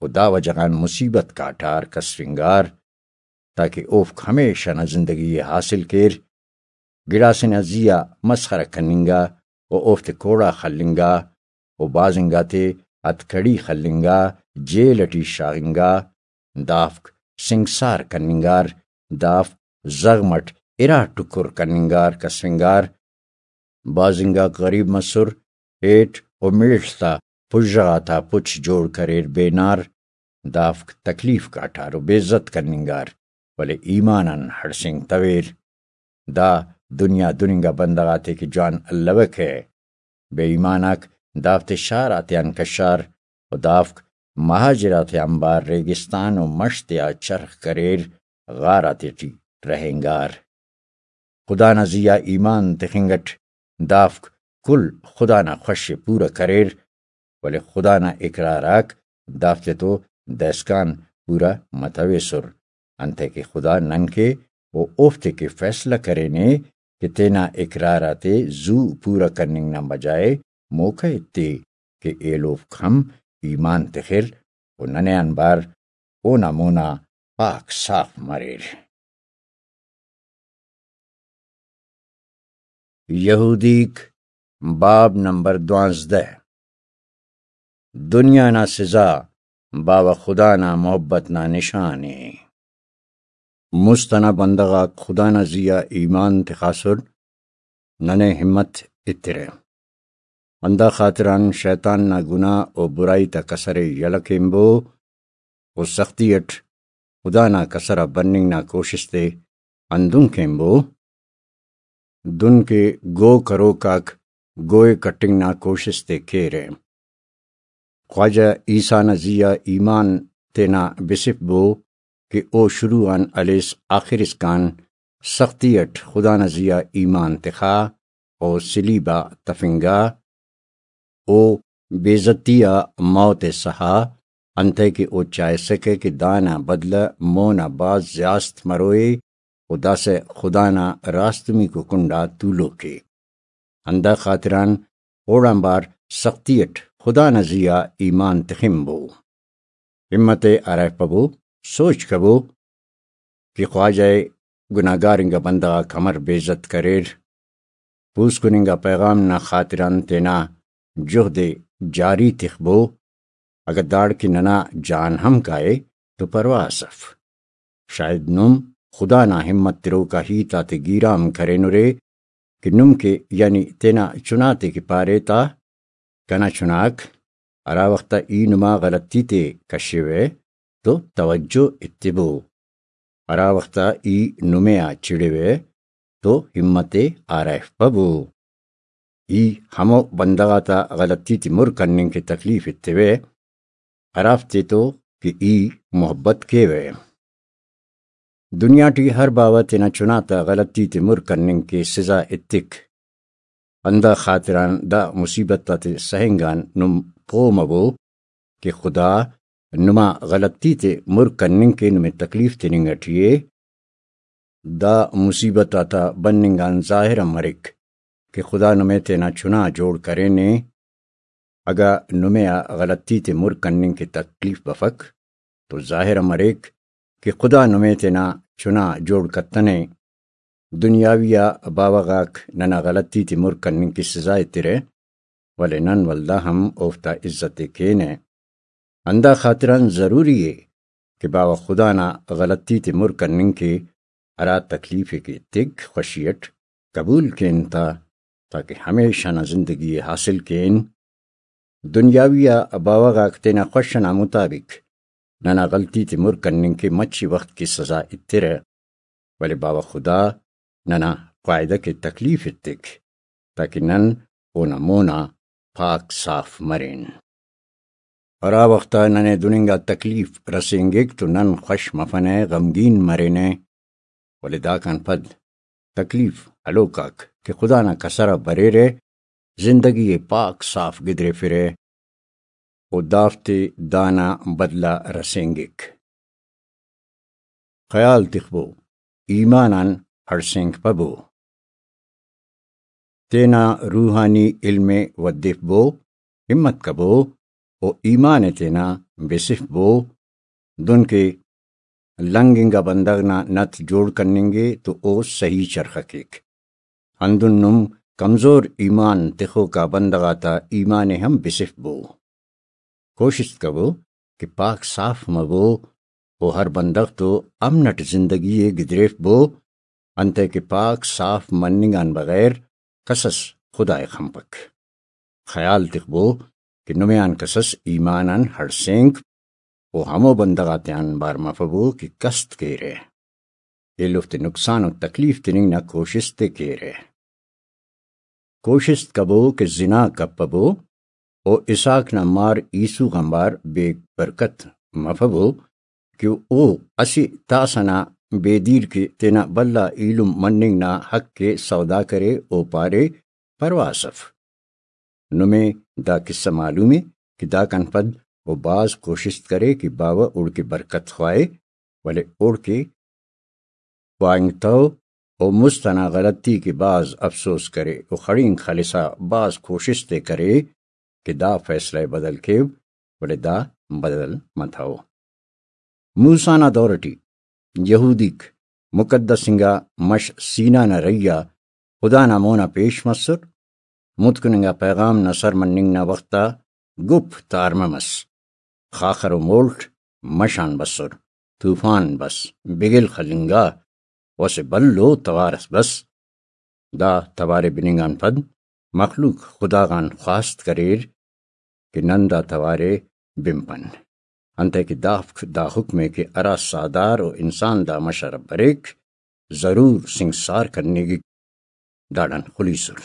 و دا وجہ غان مصیبت کاٹار کسفنگار، تاکہ اوفک ہمیشہ نا زندگی ءِ حاصل کیر۔ گڑاسے نا زی آ مسخرہ کننگا و اوفتے کوڑا خلنگا و بھاز انگاتے ہتکڑی خلنگا، جیل ٹی شاغنگا، دافک سنگسار کننگار، دافک زغم اٹ ارا ٹکر کننگار کسفنگار۔ بھاز انگاک غریب مسر، ہیٹ و میڷ تا پژہ غاتا پچ جوڑ کریر بینار، دافک تکلیف کاٹار و بے عزت کننگار، ولے ایمان آن ہڑسینگتویر۔ دا دنیا دن انگا بندغ آتے کہ جوان الوکہ۔ بے ایمان آک دافتے شار آتیان کشار و دافک مہاجر آتے آنبار ریگستان و مش تیا چرخ کریر، غار آتیٹی رہینگار۔ خدا نا زی آ ایمان تخنگ اٹ دافک کل خدا نا خوش ءِ پورہ کریر، ولے خدا نا اقرار آک دافتے تو دائسکان پورہ متویسر، انتئے کہ خدا نن کے و اوفتے کہ فیصلہ کرینے کہ تینا اقرار آتے زو پورہ کننگ نا بجائے موقع ایتے کہ ایلوفک ہم ایمان تخر و ننے آنبار اونا مونا پاک صاف مریر۔ یہودیک، باب نمبر دوانزدہ۔ دنیا نا سزا باوہ خدا نا محبت نا نشان ءِ۔ مست ئنا بندغ آک خدا نا زی آ ایمان تخاسر، ننے ہمت ایترہ۔ ہندا خاطران شیطان نا گناہ و برائی تا کسر ءِ یلہ کینبو و سختی اٹ خدا نا کسر آ بننگ نا کوشست ءِ ہندن کینبو، دن کہ گو کروک آک گوئے کٹنگ نا کوشست ءِ کیرہ۔ خواجہ عیسیٰ نا زی آ ایمان تینا بسفبو کہ او شروع آن ہلیس آخر اسکان سختی اٹ خدا نا زی آ ایمان تخا و صلیب آ تفنگا۔ او بے عزتی آ موت ءِ سہا، انتئے کہ او چاہسکہ کہ دانا بدلہ مونا بھاز زیاست مروئے و داسہ خدا نا راستمیکو کنڈا تولوک ءِ۔ ہندا خاطران اوڑانبار سختی اٹ خدا نا زی آ ایمان تخنبو۔ ہمت ءِ ہرائفبو، سوچ کبو کہ خواجہ ءِ گناہگار انگا بندغ آک امر بے عزت کریر۔ پوسکن انگا پیغام نا خاطران تینا جہد ءِ جاری تخبو۔ اگہ داڑکن ننا جان ہم کائے تو پرواہ اس اف۔ شاید نم خدا نا ہمت تروکا ہیت آتے گیرام کرینرے کہ نم کہ، یعنی تینا چناتے کہ پارے تا، کنا چناک، ہرا وخت آ ای نما غلطی تے کشوہ تو توجہ ایتبو، ہرا وخت آ ای نمے آ چڑوہ تو ہمت ءِ آرائفبو۔ ای ہمو بندغ آتا غلطی تے مر کننگ کہ تکلیف ایتوہ، ہرافتے تو کہ ای محبت کیوہ۔ دنیا ٹی ہر باوہ تینا چنا تا غلطی تے مر کننگ کہ سزا ایتک۔ ہندا خاطران دا مصیبت آتے سہنگ آن نم پہہ مبو کہ خدا نما غلطی تے مر کننگ کہ نمے تکلیف تننگ ٹی ءِ۔ دا مصیبت آتا بننگ آن ظاہر ہم مریک کہ خدا نمے تینا چنا جوڑ کرینے۔ اگہ نمے آ غلطی تے مر کننگ کہ تکلیف بفک تو ظاہر ہم مریک کہ خدا نمے تینا چنا جوڑ کتنے۔ دنیاوی آ باوہ غاک ننا غلطی تے مر کننگ کہ سزا ایترہ، ولے نن ولدا ہم اوفتا عزت ءِ کینہ۔ ہندا خاطران ضروری ءِ کہ باوہ خدا نا غلطی تے مر کننگ کہ ہرا تکلیف ءِ کہ تک خوشی اٹ قبول کین تا، تاکہ ہمیشہ نا زندگی ءِ حاصل کین۔ دنیاوی آ باوہ غاک تینا خوش ئنا مطابق ننا غلطی تے مر کننگ کہ مچی وخت کہ سزا ایترہ، ولے باوہ خدا ننا قاعدہ کہ تکلیف ایتک، تاکہ نن اونا مونا پاک صاف مرین۔ ہرا وخت آ ننے دن انگا تکلیف رسینگک تو نن خوش مفنہ، غمگین مرینہ، ولے داکان پد تکلیف ہلوک آک کہ خدا نا کسر آ بریرہ، زندگی ءِ پاک صاف گدریفرہ و دافتے دانا بدلہ رسینگک۔ خیال تخبو، ایمان آن ہڑسینگپبو۔ تینا روحانی علم ءِ ودفبو، ہمت کبو و ایمان ءِ تینا بسفبو، دن کہ لنگ انگا بندغ نا نت جوڑ کننگے تو او صحیح چرخہ کیک۔ ہندن نم کمزور ایمان تخوکا بندغ آتا ایمان ءِ ہم بسفبو۔ کوشست کبو کہ پاک صاف مبو و ہر بندغ تو امن اٹ زندگی ءِ گدریفبو، انتئے کہ پاک صاف مننگ آن بغیر کسس خدا ءِ خنپک۔ خیال تخبو کہ نمے آن کسس ایمان آن ہڑسینک و ہمو بندغ آتیان بار مفبو کہ کست کیرہ، ایلوفتے نقصان و تکلیف تننگ نا کوشست ءِ کیرہ۔ کوشست کبو کہ زنا کپبو و اسحاق نا مار عیسو غان بار بے برکت مفبو کہ او اسہ تاسہ نا بے دیر کہ تینا بھلا ایلم مننگ نا حق ءِ سودا کرے و پارے، پرواہ اس اف۔ نمے دا قصہ معلوم ءِ کہ داکان پد او بھاز کوشست کرے کہ باوہ اوڑکہ برکت خواہے، ولے اوڑکہ پانگتو و مست انا غلطی کہ بھاز افسوس کرے و خڑینک خلسا بھاز کوشست ءِ کرے کہ دا فیصلہ ءِ بدل کیو، ولے دا بدل متو۔ موسیٰ نا دور ٹی یہودیک مقدس انگا مش سینا نا رہی آ خدا نا مونا پیش مسر، متکن انگا پیغام نا سر مننگ نا وخت آ گپ تارمہ مس، خاخر و مولٹ مش آن بسر، طوفان بس، بگل خلنگا و اسہ بھلو توار اس بس۔ دا توار ءِ بننگ آن پد مخلوق خدا غان خواست کریر کہ نن دا توار ءِ بنپن، انتئے کہ دافک دا حکم ءِ کہ ہرا ساہدار و انسان دا مش آ بریک، ضرور سنگسار کننگک، داڑان خلیسر۔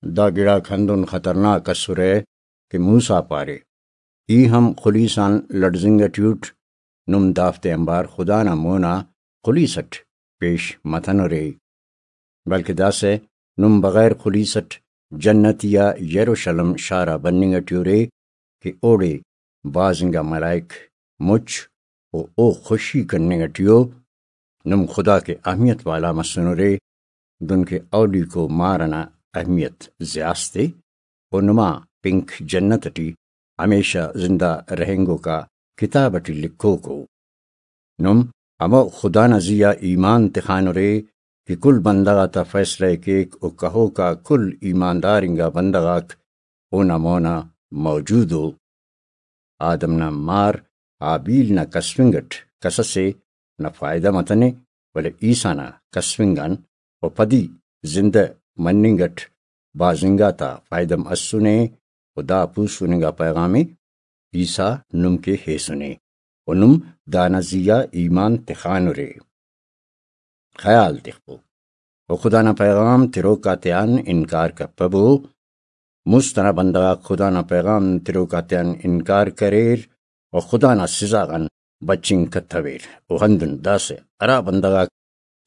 دا گڑاک ہندن خطرناک اسرہ کہ موسیٰ پارے، ای ہم خلیس آن لڑزنگ ٹی اٹ، نم دافتے آنبار خدا نا مونا خلیس اٹ پیش متنرے، بلکہ داسہ نم بغیر خلیس اٹ جنتی آ یروشلم شار آ بننگ ٹی ارے کہ اوڑے بھاز انگا ملائک مچ و او خوشی کننگ ٹی ءُ۔ نم خدا کے اہمیت والا مسنرے، دنکہ اولیکو مار ئنا اہمیت زیات ءِ، و نما پنک جنت ٹی ہمیشہ زندہ رہینگوکا کتاب ٹی لکھوک ءُ۔ نم ہمو خدا نا زی آ ایمان تخانرے کہ کل بندغ آتا فیصلہ ءِ کیک و کہوکا کل ایماندار انگا بندغ آک اونا مونا موجود ءُ۔ آدم نا مار ہابیل نا کسفنگ اٹ کس اسے نا فائدہ متنے، ولے عیسیٰ نا کسفنگ آن و پدی زندہ مننگ اٹ بھاز انگا تا فائدہ مسنے۔ و دا پوسکن انگا پیغام ءِ عیسیٰ نم کہ ہیسنے و نم دانا زی آ ایمان تخانرے۔ خیال تخبو و خدا نا پیغام تروک آتیان انکار کپبو۔ مست ئنا بندغ آک خدا نا پیغام تروک آتیان انکار کریر و خدا نا سزا غان بچنگ کتویر۔ و ہندن داسہ ہرا بندغ آک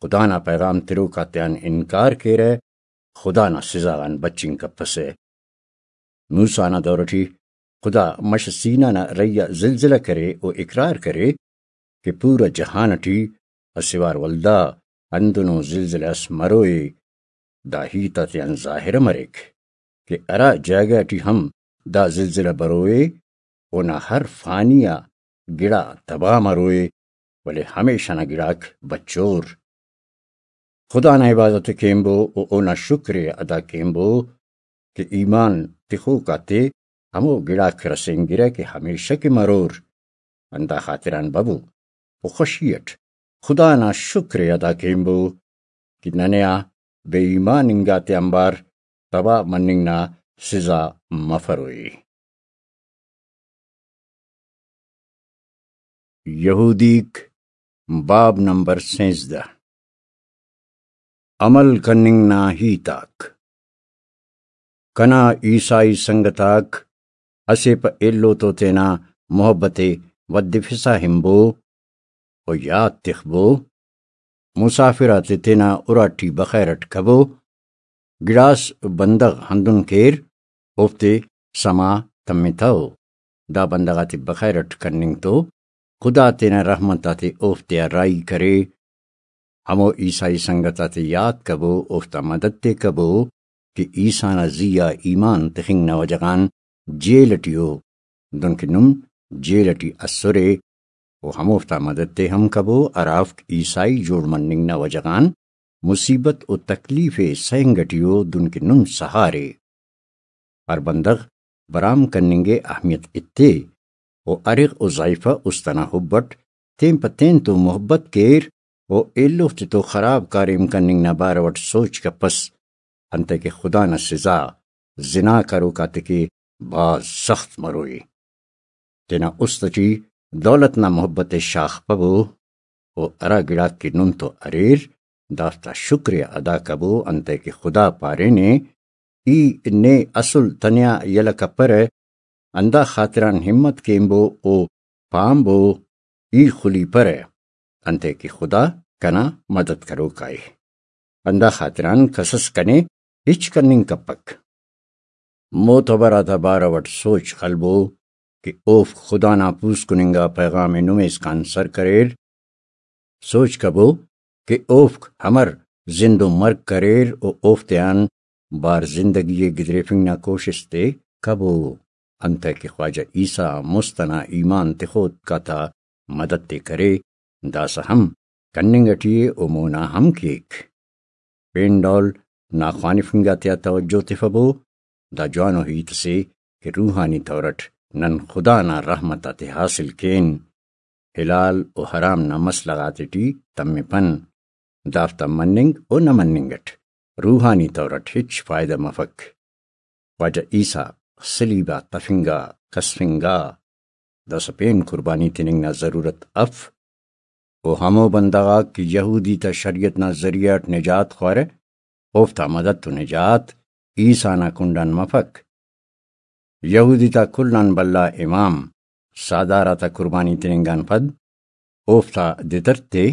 خدا نا پیغام تروک آتیان انکار کیرہ، خدا نا سزا غان بچنگ کپسہ۔ موسیٰ نا دور ٹی خدا مش سینا نا رہی آ زلزلہ کرے و اقرار کرے کہ پورا جہان ٹی اسہ وار ولدا ہندنو زلزلہ اس مروئے۔ دا ہیت آتیان ظاہر مریک کہ ہرا جاگہ ٹی ہم دا زلزلہ بروئے، اونا ہر فانی آ گڑا تباہ مروئے، ولے ہمیشہ نا گڑاک بچور۔ خدا نا عبادت ءِ کینبو و اونا شکر ءِ ادا کینبو کہ ایمان تخوک آتے ہمو گڑاک رسینگرہ کہ ہمیشہ کہ مرور۔ ہندا خاطران ببو و خوشی اٹ خدا نا شکر ءِ ادا کینبو کہ ننے آ بے ایمان انگا تے آنبار تباہ مننگ نا سزا مفروئی۔ یہودیک، باب نمبر سینزدہ۔ عمل کننگ نا ہیت آک۔ کنا عیسائی سنگت آک اسہ پہ ایلو تو تینا محبت ءِ ودفسا ہنبو و یات تخبو، مسافر آتے تینا اراٹی بخیر اٹ کبو۔ گڑاس بندغ ہندن کیر، اوفتے سما تمتو۔ دا بندغ آتے بخیر اٹ کننگ تو خدا تینا رحمت آتے اوفتیا راہی کرے۔ ہمو عیسائی سنگت آتے یات کبو، اوفتا مدد تے کبو کہ عیسیٰ نا زی آ ایمان تخنگ نا وجہ غان جیل ٹی ءُ، دنکہ نم جیل ٹی اسرے، و ہموفتا مدد تے ہم کبو ہرافک عیسائی جوڑ مننگ نا وجہ غان مصیبت و تکلیف ءِ سہنگ ٹی ءُ، دنکہ نم سہارے۔ ہر بندغ برام کننگ ءِ اہمیت ایتے و ارغ و ضعیفہ است انا حب اٹ تین پہ تین تو محبت کیر و ایلوفتے تو خراب کاریم کننگ نا بارو اٹ سوچ کپس، انتئے کہ خدا نا سزا زنا کروک آتیکہ بھاز سخت مروئی۔ تینا است ٹی دولت نا محبت ء شاخپبو، و ہرا گڑاک کہ نم تو اریر، دافتا شکر ء ادا کبو، انتئے کہ خدا پارینے، ای نے اسل تنیا یلہ کپرہ، ہندا خاطران ہمت کینبو و پانبو، ای خلیپرہ، انتئے کہ خدا کنا مدد کروکا ء۔ ہندا خاطران کسس کنے ہچ کننگ کپک۔ معتبر آتا بارو اٹ سوچ خلبو کہ اوفک خدا نا پوسکن انگا پیغام ء نمے اسکان سر کریر۔ سوچ کبو کہ اوفک امر زند و مرگ کریر و اوفتیان بار زندگی ء گدریفنگ نا کوشست ء کبو، انتئے کہ خواجہ عیسی آ مست انا ایمان تخوتک آتا مدد تے کرے، داسہ ہم کننگ اٹی ء و مونا ہم کیک۔ پین ڈول نا خوانفنگ آتیا توجہ تفبو، دا جوانو ہیت اسے کہ روحانی طور اٹ نن خدا نا رحمت آتے حاصل کین، حلال و حرام نا مسئلہ غاتے ٹی تمپن، دافتا مننگ و نہ مننگ اٹ روحانی طور اٹ ہچ فائدہ مفک۔ خواجہ عیسی صلیب آ تفنگا، کسفنگا، داسہ پین قربانی تننگ نا ضرورت اف۔ و ہمو بندغ آک کہ یہودی تا شریعت نا ذریعہ اٹ نجات خوارہ، اوفتا مدد و نجات عیسی نا کنڈان مفک۔ یہودی تا کل آن بھلا امام ساہدار آتا قربانی تننگ آن پد اوفتا دتر تے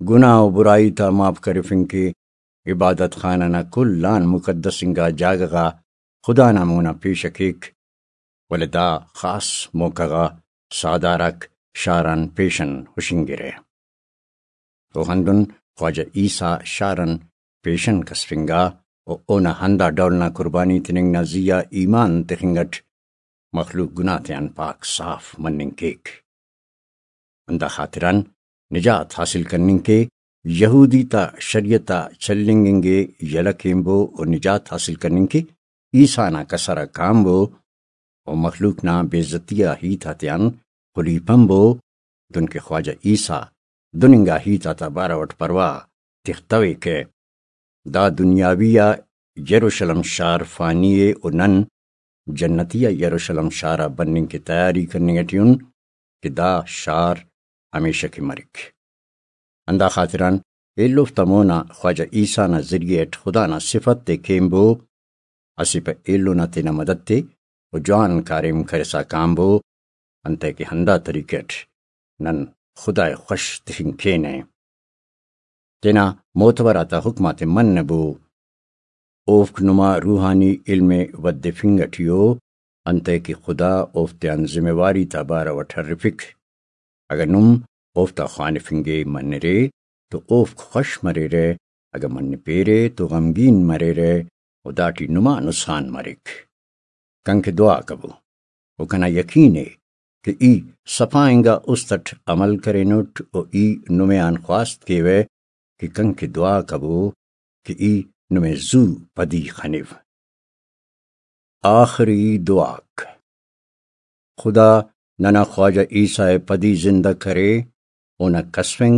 گناہ و برائی تا معاف کرفنگ کہ عبادت خانہ نا کل آن مقدس انگا جاگہ غا خدا نا مونا پیشہ کیک، ولے دا خاص موقع غا ساہدار آک شار آن پیشن ہشنگرہ۔ و ہندن خواجہ عیسی شار آن پیشن کسفنگا و اونا ہندا ڈول نا قربانی تننگ نا زی آ ایمان تخنگ اٹ مخلوق گناہ تیان پاک صاف مننگ کیک۔ ہندا خاطران نجات حاصل کننگ کے، یہودی تا شریعت آ چلینگ انگے یلہ کینبو و نجات حاصل کننگ کے عیسی نا کسر آ کانبو و مخلوق نا بے عزتی آ ہیت آتیان خلیپنبو، دنکہ خواجہ عیسی دن انگا ہیت آتا بارو اٹ پرواہ تختویکہ۔ دا دنیاوی آ یروشلم شار فانی ء و نن جنتی آ یروشلم شار آ بننگ کہ تیاری کننگ اٹی ان کہ دا شار ہمیشہ کہ مرک۔ ہندا خاطران ایلوفتا مونا خواجہ عیسی نا ذریعہ اٹ خدا نا صفت تے کینبو، اسہ پہ ایلو نا تینا مدد تے و جوان کاریم کرسا کانبو، انتئے کہ ہندا طریقہ اٹ نن خدائے خوش تخنگ کینہ۔ تینا معتبر آتا حکم آتے منبو۔ اوفک نما روحانی علم ء ودفنگ اٹی ء، انتئے کہ خدا اوفتیان ذمہ واری تا بارو اٹ ہرفک۔ اگہ نم اوفتا خوانفنگ ء منرے تو اوفک خوش مریرہ، اگہ منپیرے تو غمگین مریرہ و داٹی نما نسخان مریک۔ کنکہ دعا کبو و کنا یقین ء کہ ای صفا انگا است اٹ عمل کرینٹ و ای نمے آن خواست کیوہ کہ کنکہ دعا کبو کہ ای نمے زو پدی خنو۔ آخری دعاک۔ خدا ننا خواجہ عیسی ء پدی زندہ کرے، اونا کسفنگ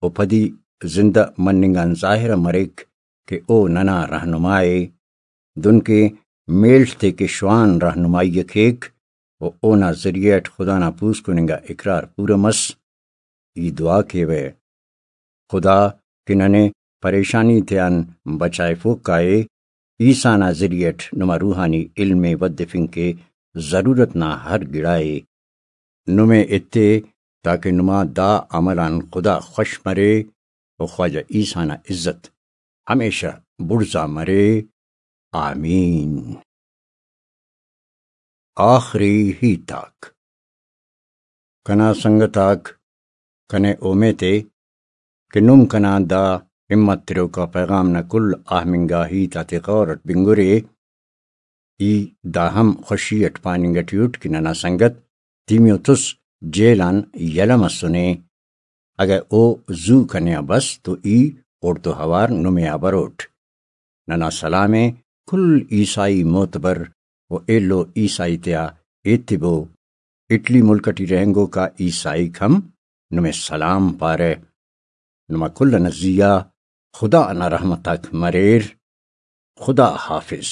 و پدی زندہ مننگ آن ظاہر مریک کہ او ننا رہنما ء، دنکہ میڷ تے کہ شوان رہنمائی ء کیک و اونا ذریعہ اٹ خدا نا پوسکن انگا اقرار پورہ مس۔ ای دعا کیوہ، خدا کہ ننے پریشانی تیان بچائفوک کائے، عیسی نا ذریعہ اٹ نما روحانی علم ء ودفنگ کہ ضرورت نا ہر گڑا ء نمے ایتے، تاکہ نما دا عمل آن خدا خوش مرے و خواجہ عیسی نا عزت ہمیشہ بڑزا مرے۔ آمین۔ آخری ہیت آک۔ کنا سنگت آک، کنے اومیت ء کہ نم کنا دا ہمت تروکا پیغام نا کل آہمنگا ہیت آتے غور اٹ بنگرے۔ ای دا ہم خوشی اٹ پاننگ اٹی اٹ کہ ننا سنگت تیمیوتس جیل آن یلہ مسنے۔ اگہ او زو کنے آ بس تو ای اوڑتو اوار نمے آ بروٹ۔ ننا سلام ء کل عیسائی معتبر و ایلو عیسائی تیا ایتبو۔ اٹلی ملک اٹی رہینگوک آ عیسائیک ہم نمے سلام پارہ۔ نما کل ئنا زیہا خدا نا رحمت آک مریر۔ خدا حافظ۔